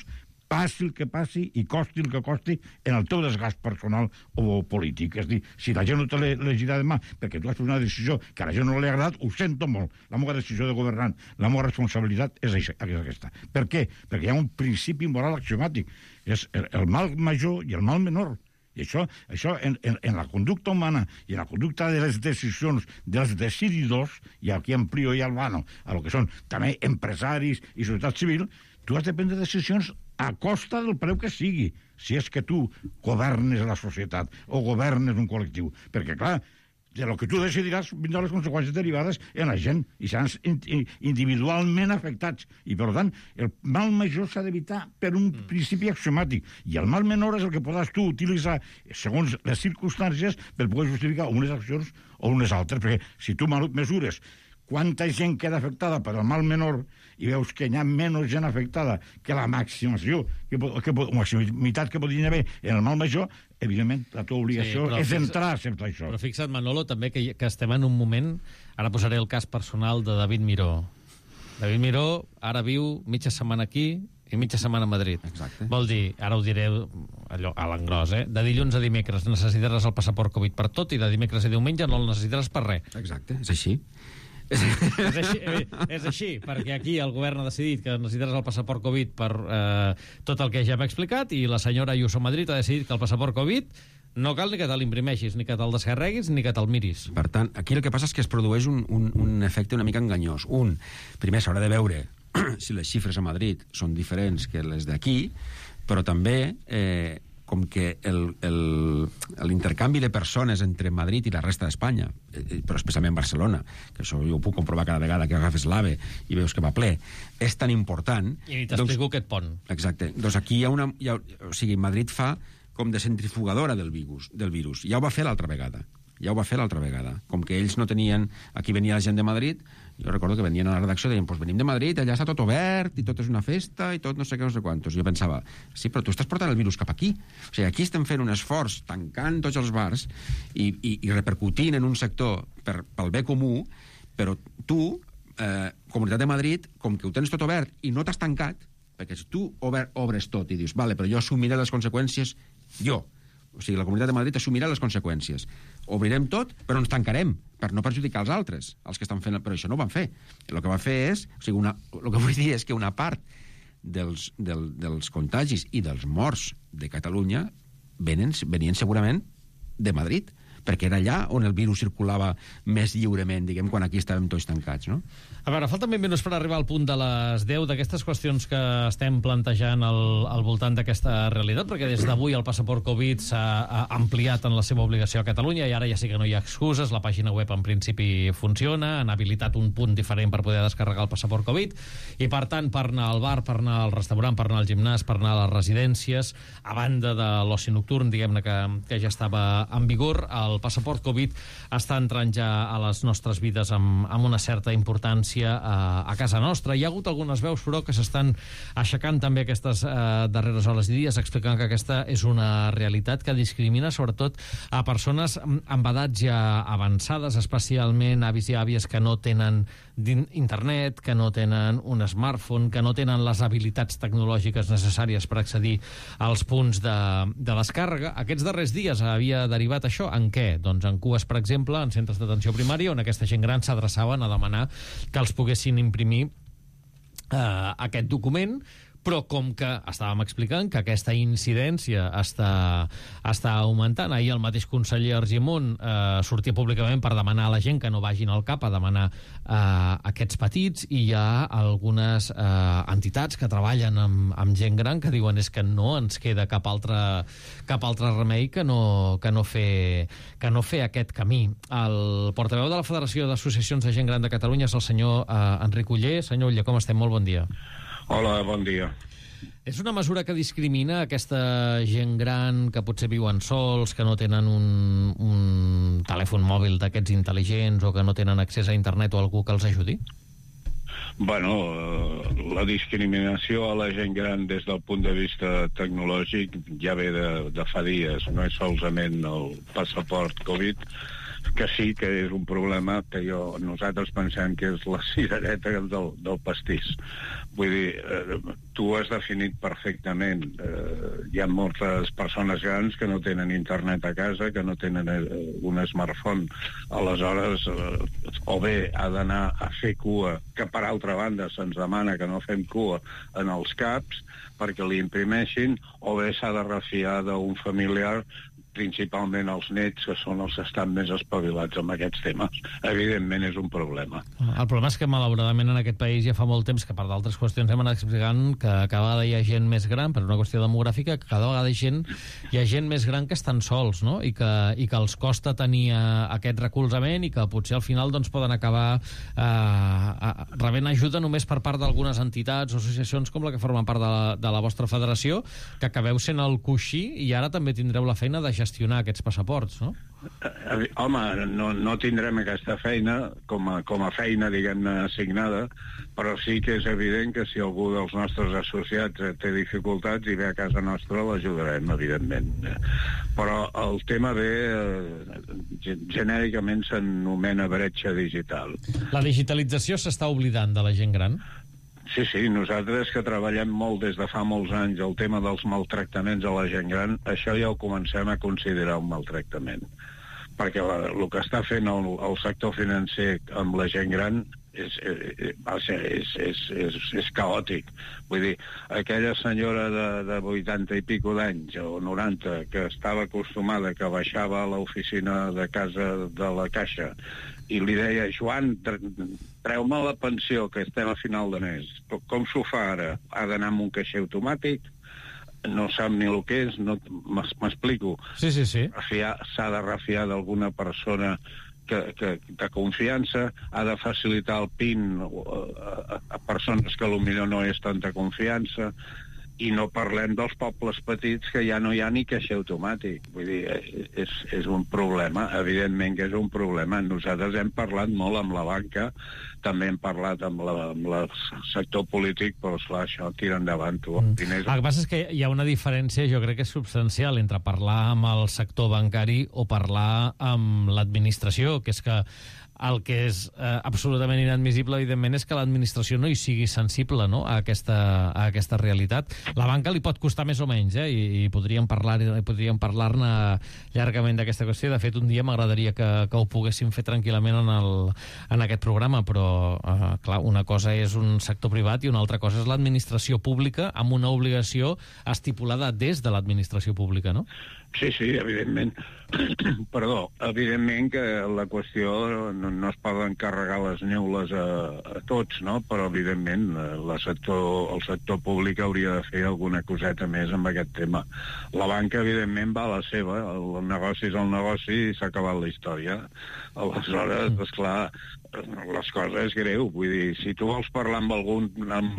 passi el que passi i costi el que costi en el teu desgast personal o polític. És a dir, si la gent no te l'elegirà demà perquè tu has fet una decisió que a la gent no li ha agradat, ho sento molt. La meva decisió de governant, la meva responsabilitat és aquesta. Per què? Perquè hi ha un principi moral axiomàtic. És el mal major i el mal menor. I això en la conducta humana i en la conducta de les decisions dels decididors, i aquí amplio i albano a lo que són també empresaris i societat civil, tu has de prendre decisions a costa del preu que sigui, si és que tu governes la societat o governes un col·lectiu. Perquè, clar, de lo que tu decidiràs vindran les conseqüències derivades en la gent i seran individualment afectats. I, per tant, el mal major s'ha d'evitar per un principi axiomàtic. I el mal menor és el que podràs tu utilitzar segons les circumstàncies per poder justificar unes accions o unes altres. Perquè si tu mesures quanta gent queda afectada per el mal menor i veus que hi ha menys gent afectada que la maximitat que podria haver en el mal major, evidentment la teva obligació és entrar a acceptar això. Però fixa't, Manolo, també que estem en un moment... Ara posaré el cas personal de David Miró. David Miró ara viu mitja setmana aquí i mitja setmana a Madrid. Exacte. Vol dir, ara ho diré allò, a l'engròs, de dilluns a dimecres necessitaràs el passaport Covid per tot i de dimecres a diumenge no el necessitaràs per res. Exacte, és així. És així, perquè aquí el govern ha decidit que necessitaràs el passaport Covid per tot el que ja hem explicat, i la senyora Ayuso a Madrid ha decidit que el passaport Covid no cal ni que te l'imprimeixis, ni que te'l descarreguis, ni que te'l miris. Per tant, aquí el que passa és que es produeix un efecte una mica enganyós. Primer s'haurà de veure si les xifres a Madrid són diferents que les d'aquí, però també com que l'intercanvi de persones entre Madrid i la resta d'Espanya, però especialment Barcelona, que això jo ho puc comprovar cada vegada que agafes l'AVE i veus que va ple, és tan important... I t'explico aquest pont. Exacte. Doncs aquí o sigui, Madrid fa com de centrifugadora del virus. Ja ho va fer l'altra vegada. Ja ho va fer l'altra vegada. Com que ells no tenien... Aquí venia la gent de Madrid, jo recordo que venien a la redacció i deien, pues venim de Madrid, allà està tot obert i tot és una festa i tot no sé què, no sé quantos. Jo pensava, sí, però tu estàs portant el virus cap aquí. O sigui, aquí estem fent un esforç tancant tots els bars i repercutint en un sector pel bé comú, però tu, Comunitat de Madrid, com que ho tens tot obert i no t'has tancat, perquè si tu obres tot i dius, vale, però jo assumiré les conseqüències jo. O sigui, la Comunitat de Madrid assumirà les conseqüències. Obrirem tot, però ens tancarem per no perjudicar els altres, els que estan fent... Però això no ho van fer. El que va fer és... O sigui, el que vull dir és que una part dels contagis i dels morts de Catalunya venien segurament de Madrid, perquè era allà on el virus circulava més lliurement, diguem, quan aquí estàvem tots tancats, no? A veure, falten 20 minuts per arribar al punt de les 10 d'aquestes qüestions que estem plantejant al voltant d'aquesta realitat, perquè des d'avui el passaport Covid s'ha ampliat en la seva obligació a Catalunya i ara ja sí que no hi ha excuses, la pàgina web en principi funciona, han habilitat un punt diferent per poder descarregar el passaport Covid i, per tant, per anar al bar, per anar al restaurant, per anar al gimnàs, per anar a les residències, a banda de l'oci nocturn, diguem-ne, que ja estava en vigor, el passaport Covid està entrant ja a les nostres vides amb una certa importància a casa nostra. Hi ha hagut algunes veus, però, que s'estan aixecant també aquestes darreres hores i dies, explicant que aquesta és una realitat que discrimina sobretot a persones amb edats ja avançades, especialment avis i àvies que no tenen internet, que no tenen un smartphone, que no tenen les habilitats tecnològiques necessàries per accedir als punts de descàrrega. Aquests darrers dies havia derivat això en què? Doncs en cues, per exemple, en centres d'atenció primària, on aquesta gent gran s'adreçaven a demanar que els poguessin imprimir aquest document, però com que estàvem explicant que aquesta incidència està augmentant, ahir el mateix conseller Argimon sortia públicament per demanar a la gent que no vagin al CAP a demanar aquests petits, i hi ha algunes entitats que treballen amb gent gran que diuen és que no ens queda cap altre remei que no fer aquest camí. El portaveu de la Federació d'Associacions de Gent Gran de Catalunya és el senyor Enric Oller. Senyor Oller, com estem? Molt bon dia. Hola, bon dia. És una mesura que discrimina aquesta gent gran que potser viuen sols, que no tenen un telèfon mòbil d'aquests intel·ligents o que no tenen accés a internet o algú que els ajudi? Bueno, la discriminació a la gent gran des del punt de vista tecnològic ja ve de fa dies. No és solament el passaport Covid, que sí que és un problema que nosaltres pensem que és la cirereta del pastís. Vull dir, tu has definit perfectament. Hi ha moltes persones grans que no tenen internet a casa, que no tenen un smartphone. Aleshores, o bé ha d'anar a fer cua, que per altra banda se'ns demana que no fem cua en els CAPs perquè li imprimeixin, o bé s'ha de refiar d'un familiar, principalment els nets, que són els que estan més espavilats amb aquests temes. Evidentment és un problema. El problema és que, malauradament, en aquest país ja fa molt temps que, per d'altres qüestions, hem anat explicant que cada vegada hi ha gent més gran, per una qüestió demogràfica, que cada vegada hi ha gent més gran que estan sols, no? I que els costa tenir aquest recolzament i que potser al final doncs, poden acabar rebent ajuda només per part d'algunes entitats o associacions com la que formen part de la vostra federació, que acabeu sent el coixí i ara també tindreu la feina de gestionar aquests passaports, no? Home, no tindrem aquesta feina com a feina, diguem-ne, assignada, però sí que és evident que si algú dels nostres associats té dificultats i ve a casa nostra, l'ajudarem, evidentment. Però el tema genèricament s'anomena bretxa digital. La digitalització s'està oblidant de la gent gran? Sí, nosaltres que treballem molt des de fa molts anys el tema dels maltractaments a la gent gran, això ja ho comencem a considerar un maltractament. Perquè el que està fent el sector financer amb la gent gran és caòtic. Vull dir, aquella senyora de 80 i pico d'anys o 90 que estava acostumada, que baixava a l'oficina de casa de la Caixa i li deia, Joan, treu-me la pensió, que estem a final de mes. Com s'ho fa ara? Ha d'anar amb un caixer automàtic? No sap ni el que és? M'explico? Sí. S'ha de refiar d'alguna persona de confiança, ha de facilitar el PIN a persones que potser no és tanta confiança. I no parlem dels pobles petits, que ja no hi ha ni caixer automàtic. Vull dir, és un problema, evidentment que és un problema. Nosaltres hem parlat molt amb la banca, també hem parlat amb el sector polític, però esclar, això tira endavant. El que passa és que hi ha una diferència, jo crec que és substancial, entre parlar amb el sector bancari o parlar amb l'administració, que és que el que és absolutament inadmissible, evidentment, és que l'administració no hi sigui sensible, no?, a aquesta realitat. La banca li pot costar més o menys, i podríem parlar-ne llargament d'aquesta qüestió. De fet, un dia m'agradaria que ho poguéssim fer tranquil·lament en aquest programa, però, clar, una cosa és un sector privat i una altra cosa és l'administració pública amb una obligació estipulada des de l'administració pública, no? Sí, evidentment. Perdó, evidentment que la qüestió no es poden carregar les neules a tots, no? Però evidentment el sector públic hauria de fer alguna coseta més amb aquest tema. La banca, evidentment, va a la seva, el negoci és el negoci i s'ha acabat la història. Aleshores, esclar, les coses és greu. Vull dir, si tu vols parlar amb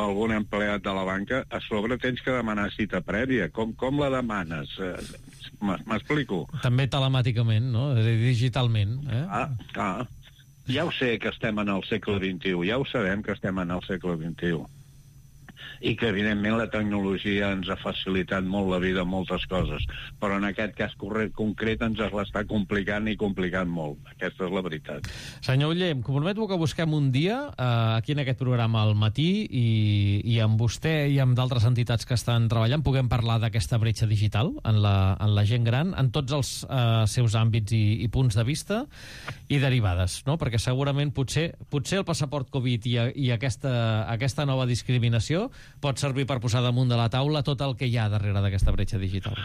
algun empleat de la banca, a sobre tens que demanar cita prèvia. Com la demanes? M'explico? També telemàticament, no? És a dir, digitalment. Ja ho sé que estem en el segle XXI, ja ho sabem que estem en el segle XXI. I que, evidentment, la tecnologia ens ha facilitat molt la vida en moltes coses, però en aquest cas concret ens l'està complicant i complicant molt. Aquesta és la veritat. Senyor Oller, em comprometo que busquem un dia aquí en aquest programa al matí i amb vostè i amb d'altres entitats que estan treballant puguem parlar d'aquesta bretxa digital en la gent gran, en tots els seus àmbits i punts de vista i derivades, no? Perquè segurament potser el passaport Covid i aquesta nova discriminació pot servir per posar damunt de la taula tot el que hi ha darrere d'aquesta bretxa digital.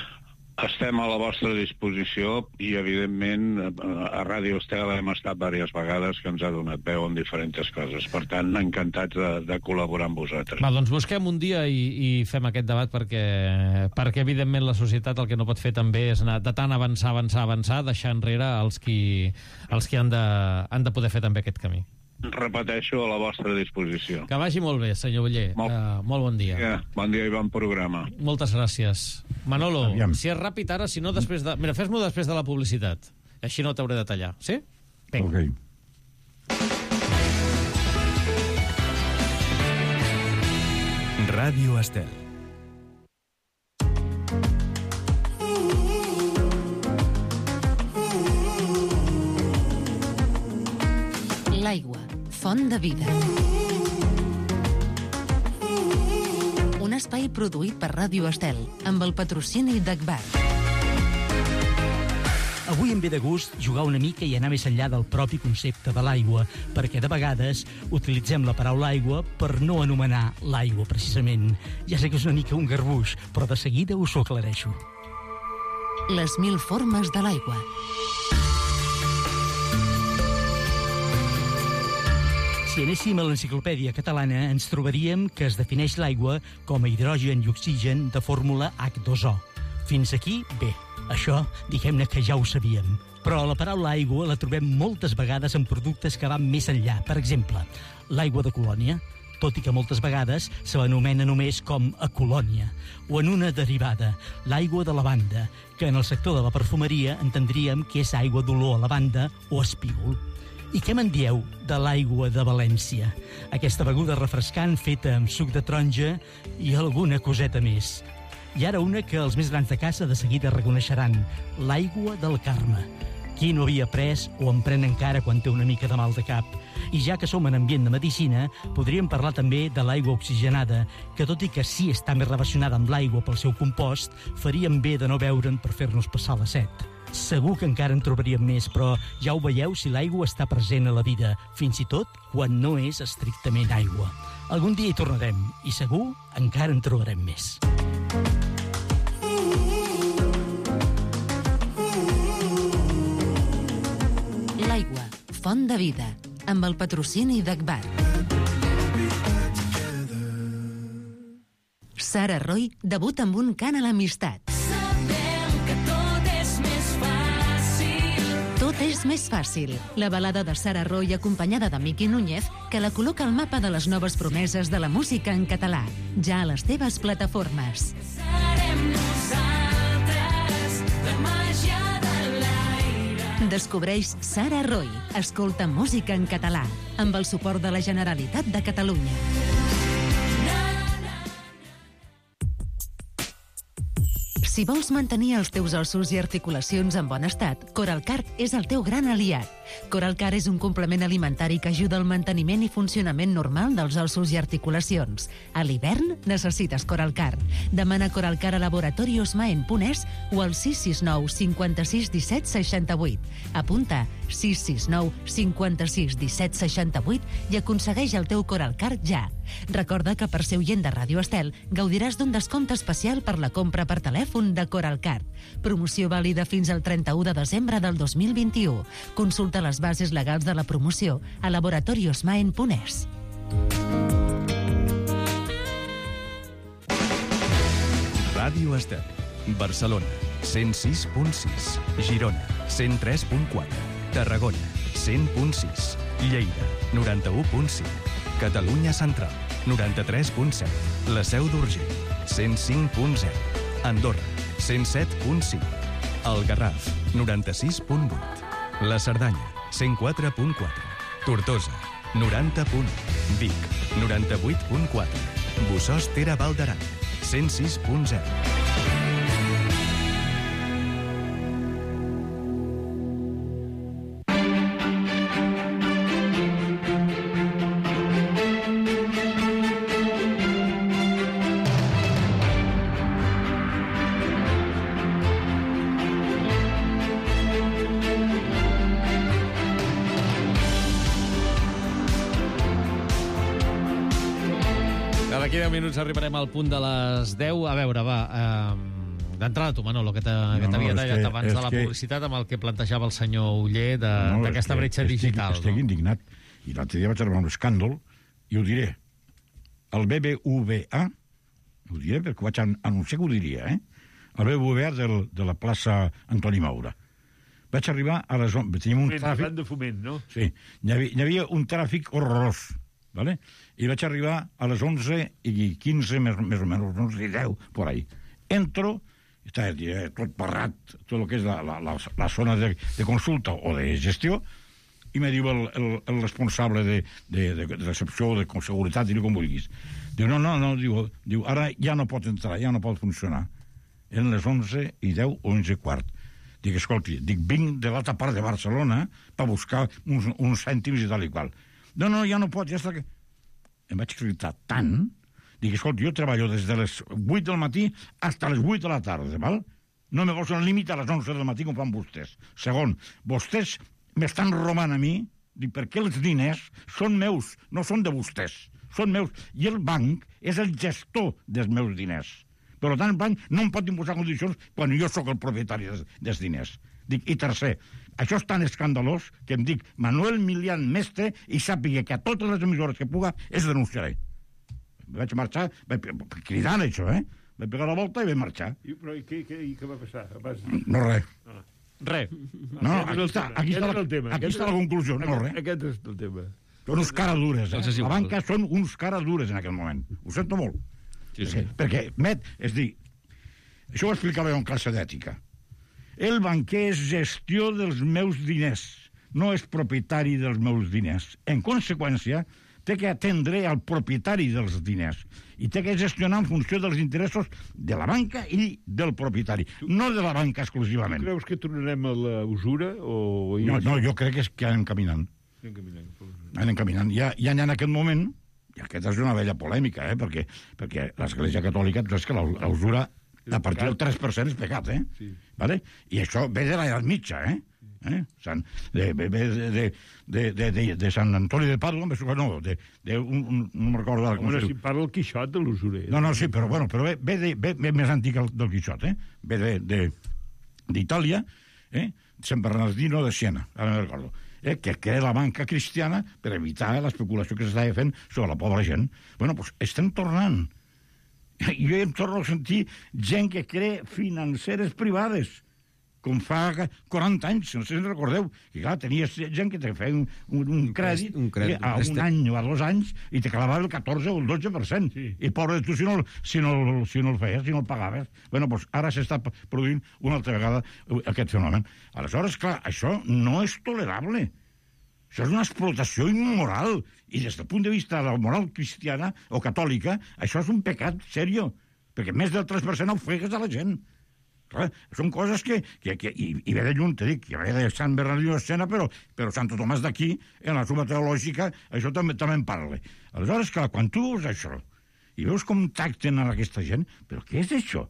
Estem a la vostra disposició i, evidentment, a Ràdio Estel hem estat diverses vegades que ens ha donat veu en diferents coses. Per tant, encantats de col·laborar amb vosaltres. Va, doncs busquem un dia i fem aquest debat perquè evidentment, la societat el que no pot fer també és anar de tant avançar, deixar enrere els qui han de poder fer també aquest camí. Repeteixo, a la vostra disposició. Que vagi molt bé, senyor Oller. Molt bon dia. Bon dia i bon programa. Moltes gràcies. Manolo, si és ràpid ara, si no després de... Mira, fes-m'ho després de la publicitat. Així no t'hauré de tallar. Sí? Vinga. Ràdio Estel. L'aigua, font de vida. Un espai produït per Ràdio Estel, amb el patrocini d'Agbar. Avui em ve de gust jugar una mica i anar més enllà del propi concepte de l'aigua, perquè de vegades utilitzem la paraula aigua per no anomenar l'aigua, precisament. Ja sé que és una mica un garbuix, però de seguida us ho aclareixo. Les 1000 formes de l'aigua. Si anéssim a l'enciclopèdia catalana, ens trobaríem que es defineix l'aigua com a hidrogen i oxigen de fórmula H2O. Fins aquí, bé. Això, diguem-ne que ja ho sabíem. Però la paraula aigua la trobem moltes vegades en productes que van més enllà. Per exemple, l'aigua de Colònia, tot i que moltes vegades se l'anomena només com a Colònia. O en una derivada, l'aigua de lavanda, que en el sector de la perfumeria entendríem que és aigua d'olor a lavanda o espígol. I què me'n dieu de l'aigua de València? Aquesta beguda refrescant feta amb suc de taronja i alguna coseta més. I ara una que els més grans de casa de seguida reconeixeran, l'aigua del Carme. Qui no havia pres o en pren encara quan té una mica de mal de cap? I ja que som en ambient de medicina, podríem parlar també de l'aigua oxigenada, que tot i que sí està més relacionada amb l'aigua pel seu compost, faríem bé de no beure'n per fer-nos passar la set. Segur que encara en trobaríem més, però ja ho veieu si l'aigua està present a la vida, fins i tot quan no és estrictament aigua. Algun dia hi tornarem, i segur encara en trobarem més. L'aigua, font de vida, amb el patrocini d'Agbar. Sara Roy debuta amb un cant a l'amistat. Tot és fas més fàcil. La balada de Sara Roy acompanyada de Miqui Núñez, que la col·loca al mapa de les noves promeses de la música en català, ja a les teves plataformes. Serem nosaltres, la màgia de l'aire. Descobreix Sara Roy. Escolta música en català, amb el suport de la Generalitat de Catalunya. Si vols mantenir els teus ossos i articulacions en bon estat, Coralcart és el teu gran aliat. Coralcart és un complement alimentari que ajuda al manteniment i funcionament normal dels ossos i articulacions. A l'hivern necessites Coralcart. Demana Coralcart a laboratoriosmaen.es o al 669 56 17 68. Apunta 669 56 17 68 i aconsegueix el teu Coralcart ja. Recorda que per ser oient de Ràdio Estel gaudiràs d'un descompte especial per la compra per telèfon de Coralcart. Promoció vàlida fins al 31 de desembre del 2021. Consulta les bases legals de la promoció a laboratoriosmaen.es. Ràdio Estel, Barcelona, 106.6, Girona, 103.4, Tarragona, 100.6, Lleida, 91.5, Catalunya Central, 93.7, la Seu d'Urgell, 105.0, Andorra, 107.5, el Garraf, 96.8, la Cerdanya, 104.4, Tortosa, 90.1, Vic, 98.4, Bossòst Tere Val d'Aran, 106.0. D'aquí 10 minuts arribarem al punt de les 10. A veure, va, d'entrada tu, Manolo, que t'havia tallat abans de la publicitat amb el que plantejava el senyor Oller d'aquesta bretxa digital. Estic indignat. I l'altre dia vaig arribar a un escàndol, i ho diré. El BBVA, ho diré perquè vaig anunciar que ho diria, el BBVA de la plaça Antoni Maura. Vaig arribar a les... Teníem un tràfic... de foment, no? Sí. Hi havia un tràfic horrorós. ¿Vale? I vaig arribar a les 11:15, més o menys, 11:10, por ahí. Entro, està tot parrat, tot el que és la zona de consulta o de gestió, i me diu el responsable de recepció o de seguretat, diu com vulguis. Diu, no, diu, ara ja no pot entrar, ja no pot funcionar. Eren les 11:10 o 11:15. Dic, escolti, vinc de l'altra part de Barcelona per buscar uns cèntims i tal i qual. No, ja no pot, ja està... Em vaig explicar tant... Dic, escolta, jo treballo des de les 8 del matí fins a les 8 de la tarda, val? No me poso un límit a les 11 del matí com fan vostès. Segon, vostès m'estan robant a mi, dic, perquè els diners són meus, no són de vostès, són meus. I el banc és el gestor dels meus diners. Per tant, el banc no em pot imposar condicions quan jo sóc el propietari dels diners. Dic, i tercer, això és tan escandalós que em dic Manuel Milian Mestre i sàpiga que a totes les emissores que puga es denunciaré. Vaig marxar, cridant això, Vaig pegar la volta i vaig marxar. I què va passar? No, res. Res. No, aquí està la conclusió, no, res. Aquest és el tema. Són uns caradures, La banca són uns caradures en aquell moment. Ho sento molt. Sí. Perquè, és dir, això ho explicava jo en classe d'ètica. El banquer és gestió dels meus diners, no és propietari dels meus diners. En conseqüència, té que atendre al propietari dels diners i té que gestionar en funció dels interessos de la banca i del propietari, no de la banca exclusivament. Tu creus que tornarem a la usura? No, jo crec que anem caminant. Anem caminant. Ja en aquest moment, i aquesta és una vella polèmica, perquè l'Església Catòlica, tu saps que la usura a partir del 3% és pecat, Sí. Vale? I això ve de l'edat mitja, de Sant Antoni de Pàdua, no me'n recordo ara com es diu. Si parla el Quixot de l'usurer. No, sí, però ve més antic del Quixot, ve d'Itàlia, Sant Bernardino de Siena, ara me'n recordo, que crea la banca cristiana per evitar l'especulació que s'estava fent sobre la pobra gent. Bueno, doncs estem tornant. Jo em torno a sentir gent que crea financeres privades com fa 40 anys, no sé si en recordeu, que clar, tenies gent que te feia un crèdit a un any o a 2 anys i te clavava el 14 o el 12%. Sí. I pobre de tu si no el feies, si no el pagaves. Bueno, doncs ara s'està produint una altra vegada aquest fenomen. Aleshores, clar, això no és tolerable. Això és una explotació immoral. I des del punt de vista de la moral cristiana o catòlica, això és un pecat seriós, perquè més del 3% ofegues a la gent. Clar, són coses que i ve de lluny, te dic, que ve de Sant Bernardino de Siena, però Santo Tomàs d'aquí, en la suma teològica, això també en parla. Aleshores, clar, quan tu veus això, i veus com tracten a aquesta gent, però què és això?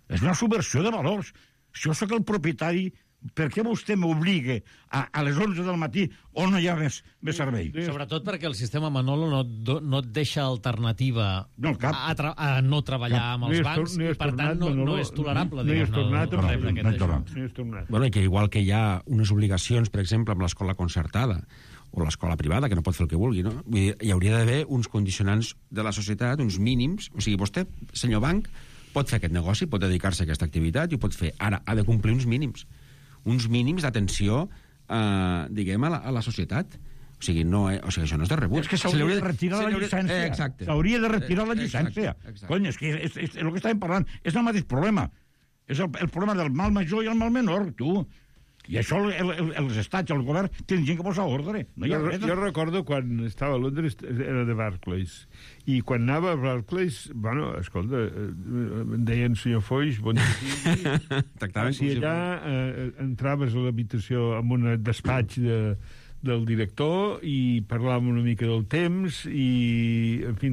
És una subversió de valors. Si jo sóc el propietari, per què vostè m'obliga a les 11 del matí on no hi ha més servei? Sobretot perquè el sistema Manolo no et deixa alternativa a no treballar amb els bancs i, per tant, no és tolerable. No hi has tornat. Bueno, i que igual que hi ha unes obligacions, per exemple, amb l'escola concertada o l'escola privada, que no pot fer el que vulgui, no? Vull dir, hi hauria d'haver uns condicionants de la societat, uns mínims. O sigui, vostè, senyor banc, pot fer aquest negoci, pot dedicar-se a aquesta activitat i ho pot fer. Ara, ha de complir uns mínims d'atenció, diguem, a la societat. O sigui, això no és de rebut. És que s'hauria de retirar la llicència. Exacte. S'hauria de retirar la llicència. Cony, és que és el que estàvem parlant. És el mateix problema. És el problema del mal major i el mal menor, tu. I això els estats, el govern, tenen gent que posa ordre. No hi ha res. Jo recordo quan estava a Londres, era de Barclays, i quan anava a Barclays, bueno, escolta, em deien senyor Foix, bon dia. Si allà entraves a l'habitació amb un despatx del director i parlàvem una mica del temps i, en fi,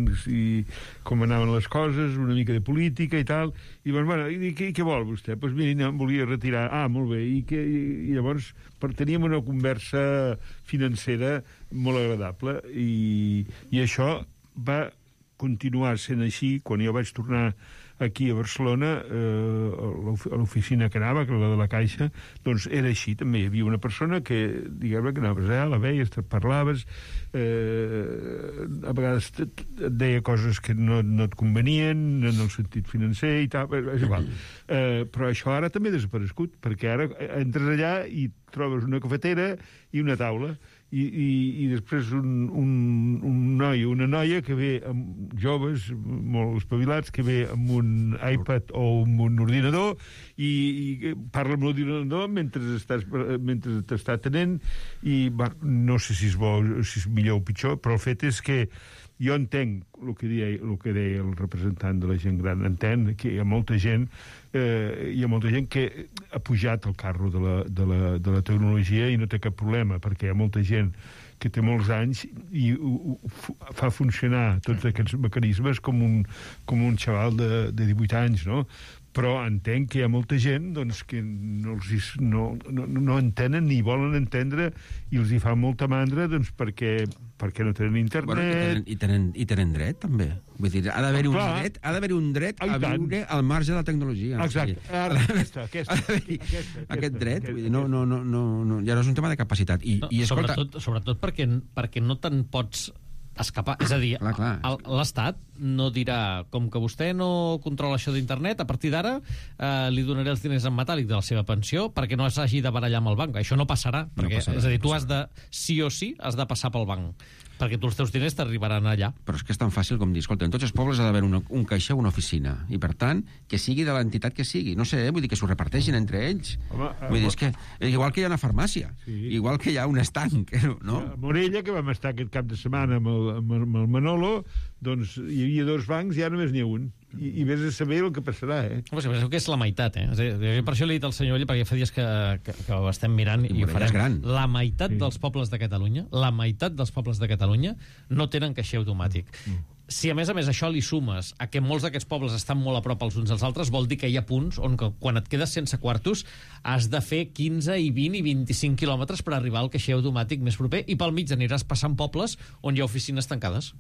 com anaven les coses, una mica de política i tal, i bueno, què vol vostè? Doncs mira, em volia retirar. Ah, molt bé. I llavors teníem una conversa financera molt agradable i això va continuar sent així quan jo vaig tornar aquí a Barcelona, a l'oficina que anava, que era la de la Caixa, doncs era així, també hi havia una persona que, diguem-ne, que anaves allà, la veies, te parlaves, a vegades et deia coses que no et convenien en el sentit financer i tal, és igual. Però això ara també ha desaparegut, perquè ara entres allà i trobes una cafetera i una taula, i després un noi o una noia que ve amb joves molt espavilats, que ve amb un iPad o amb un ordinador i parla amb l'ordinador mentre t'està atenent i no sé si és bo, si és millor o pitjor, però el fet és que jo entenc el que deia el representant de la gent gran, entenc que hi ha molta gent que ha pujat al carro de la tecnologia i no té cap problema, perquè hi ha molta gent que té molts anys i fa funcionar tots aquests mecanismes com un xaval de 18 anys, no? Però entenc que hi ha molta gent doncs, que no entenen ni volen entendre i els hi fa molta mandra doncs, perquè no tenen internet. Bueno, i tenen dret, també. Vull dir, ha d'haver-hi un dret a viure al marge de la tecnologia. Exacte. Aquest dret, vull dir, ja no és un tema de capacitat. Sobretot perquè no te'n pots escapar. És a dir, l'Estat no dirà, com que vostè no controla això d'internet, a partir d'ara li donaré els diners en metàl·lic de la seva pensió perquè no s'hagi de barallar amb el banc. Això no passarà. És a dir, tu has de, sí o sí, has de passar pel banc, perquè tu els teus diners t'arribaran allà. Però és que és tan fàcil com dir, escolta, en tots els pobles ha d'haver un caixer o una oficina, i per tant, que sigui de l'entitat que sigui. No sé, vull dir, que s'ho reparteixin entre ells. Vull dir, és que igual que hi ha una farmàcia, igual que hi ha un estanc, no? A Morella, que vam estar aquest cap de setmana amb el Manolo, doncs hi havia 2 bancs i ara només n'hi ha un. I vés a saber el que passarà, Pues penseu que és la meitat, És a dir, per això l'he dit al senyor Oller, perquè fa dies que ho estem mirant i ho farem. La meitat dels pobles de Catalunya, no tenen caixer automàtic. Si a més això li sumes a que molts d'aquests pobles estan molt a prop els uns dels altres, vol dir que hi ha punts on quan et quedes sense quartos has de fer 15 i 20 i 25 quilòmetres per arribar al caixer automàtic més proper i pel mig aniràs passant pobles on hi ha oficines tancades.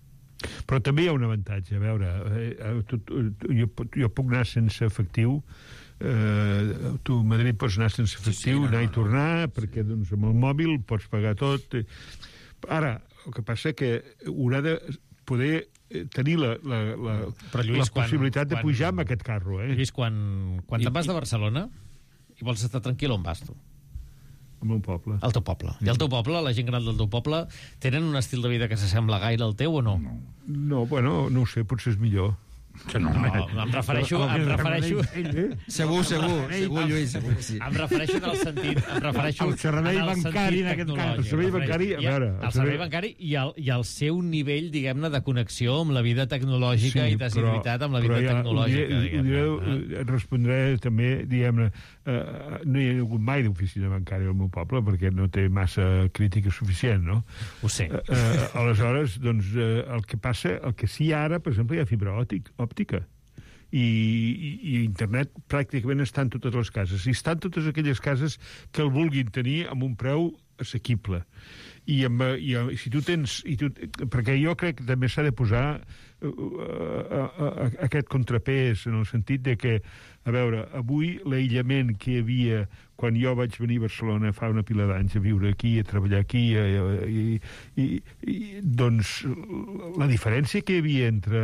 Però també hi ha un avantatge, a veure, jo puc anar sense efectiu, tu a Madrid pots anar sense efectiu, anar i tornar, perquè doncs, amb el mòbil pots pagar tot. Ara, el que passa que haurà de poder tenir la possibilitat de pujar amb aquest carro. Lluís, quan te'n vas de Barcelona i vols estar tranquil, on vas tu? Al meu poble. Al teu poble. I al teu poble, la gent gran del teu poble, tenen un estil de vida que s'assembla gaire al teu o no? No, bueno, no ho sé, potser és millor. No, em refereixo... Segur, Lluís, segur que sí. Em refereixo en el sentit... El servei bancari, en aquest cas. El servei bancari, a veure... El servei bancari i el seu nivell, diguem-ne, de connexió amb la vida tecnològica i d'assiduïtat amb la vida tecnològica. Respondré també, diguem-ne, no hi ha hagut mai d'oficina bancària al meu poble perquè no té massa crítica suficient, no? Ho sé. Aleshores, doncs, el que passa, el que sí ara, per exemple, hi ha fibra òptica. I internet pràcticament està en totes les cases. I està en totes aquelles cases que el vulguin tenir amb un preu assequible. I si tu tens... perquè jo crec que també s'ha de posar aquest contrapès en el sentit de que, a veure, avui l'aïllament que hi havia quan jo vaig venir a Barcelona fa una pila d'anys a viure aquí, a treballar aquí, doncs la diferència que hi havia entre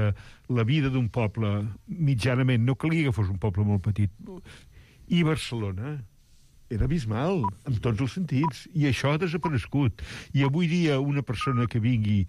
la vida d'un poble mitjanament, no calia que fos un poble molt petit, i Barcelona era abismal, en tots els sentits, i això ha desaparegut. I avui dia una persona que vingui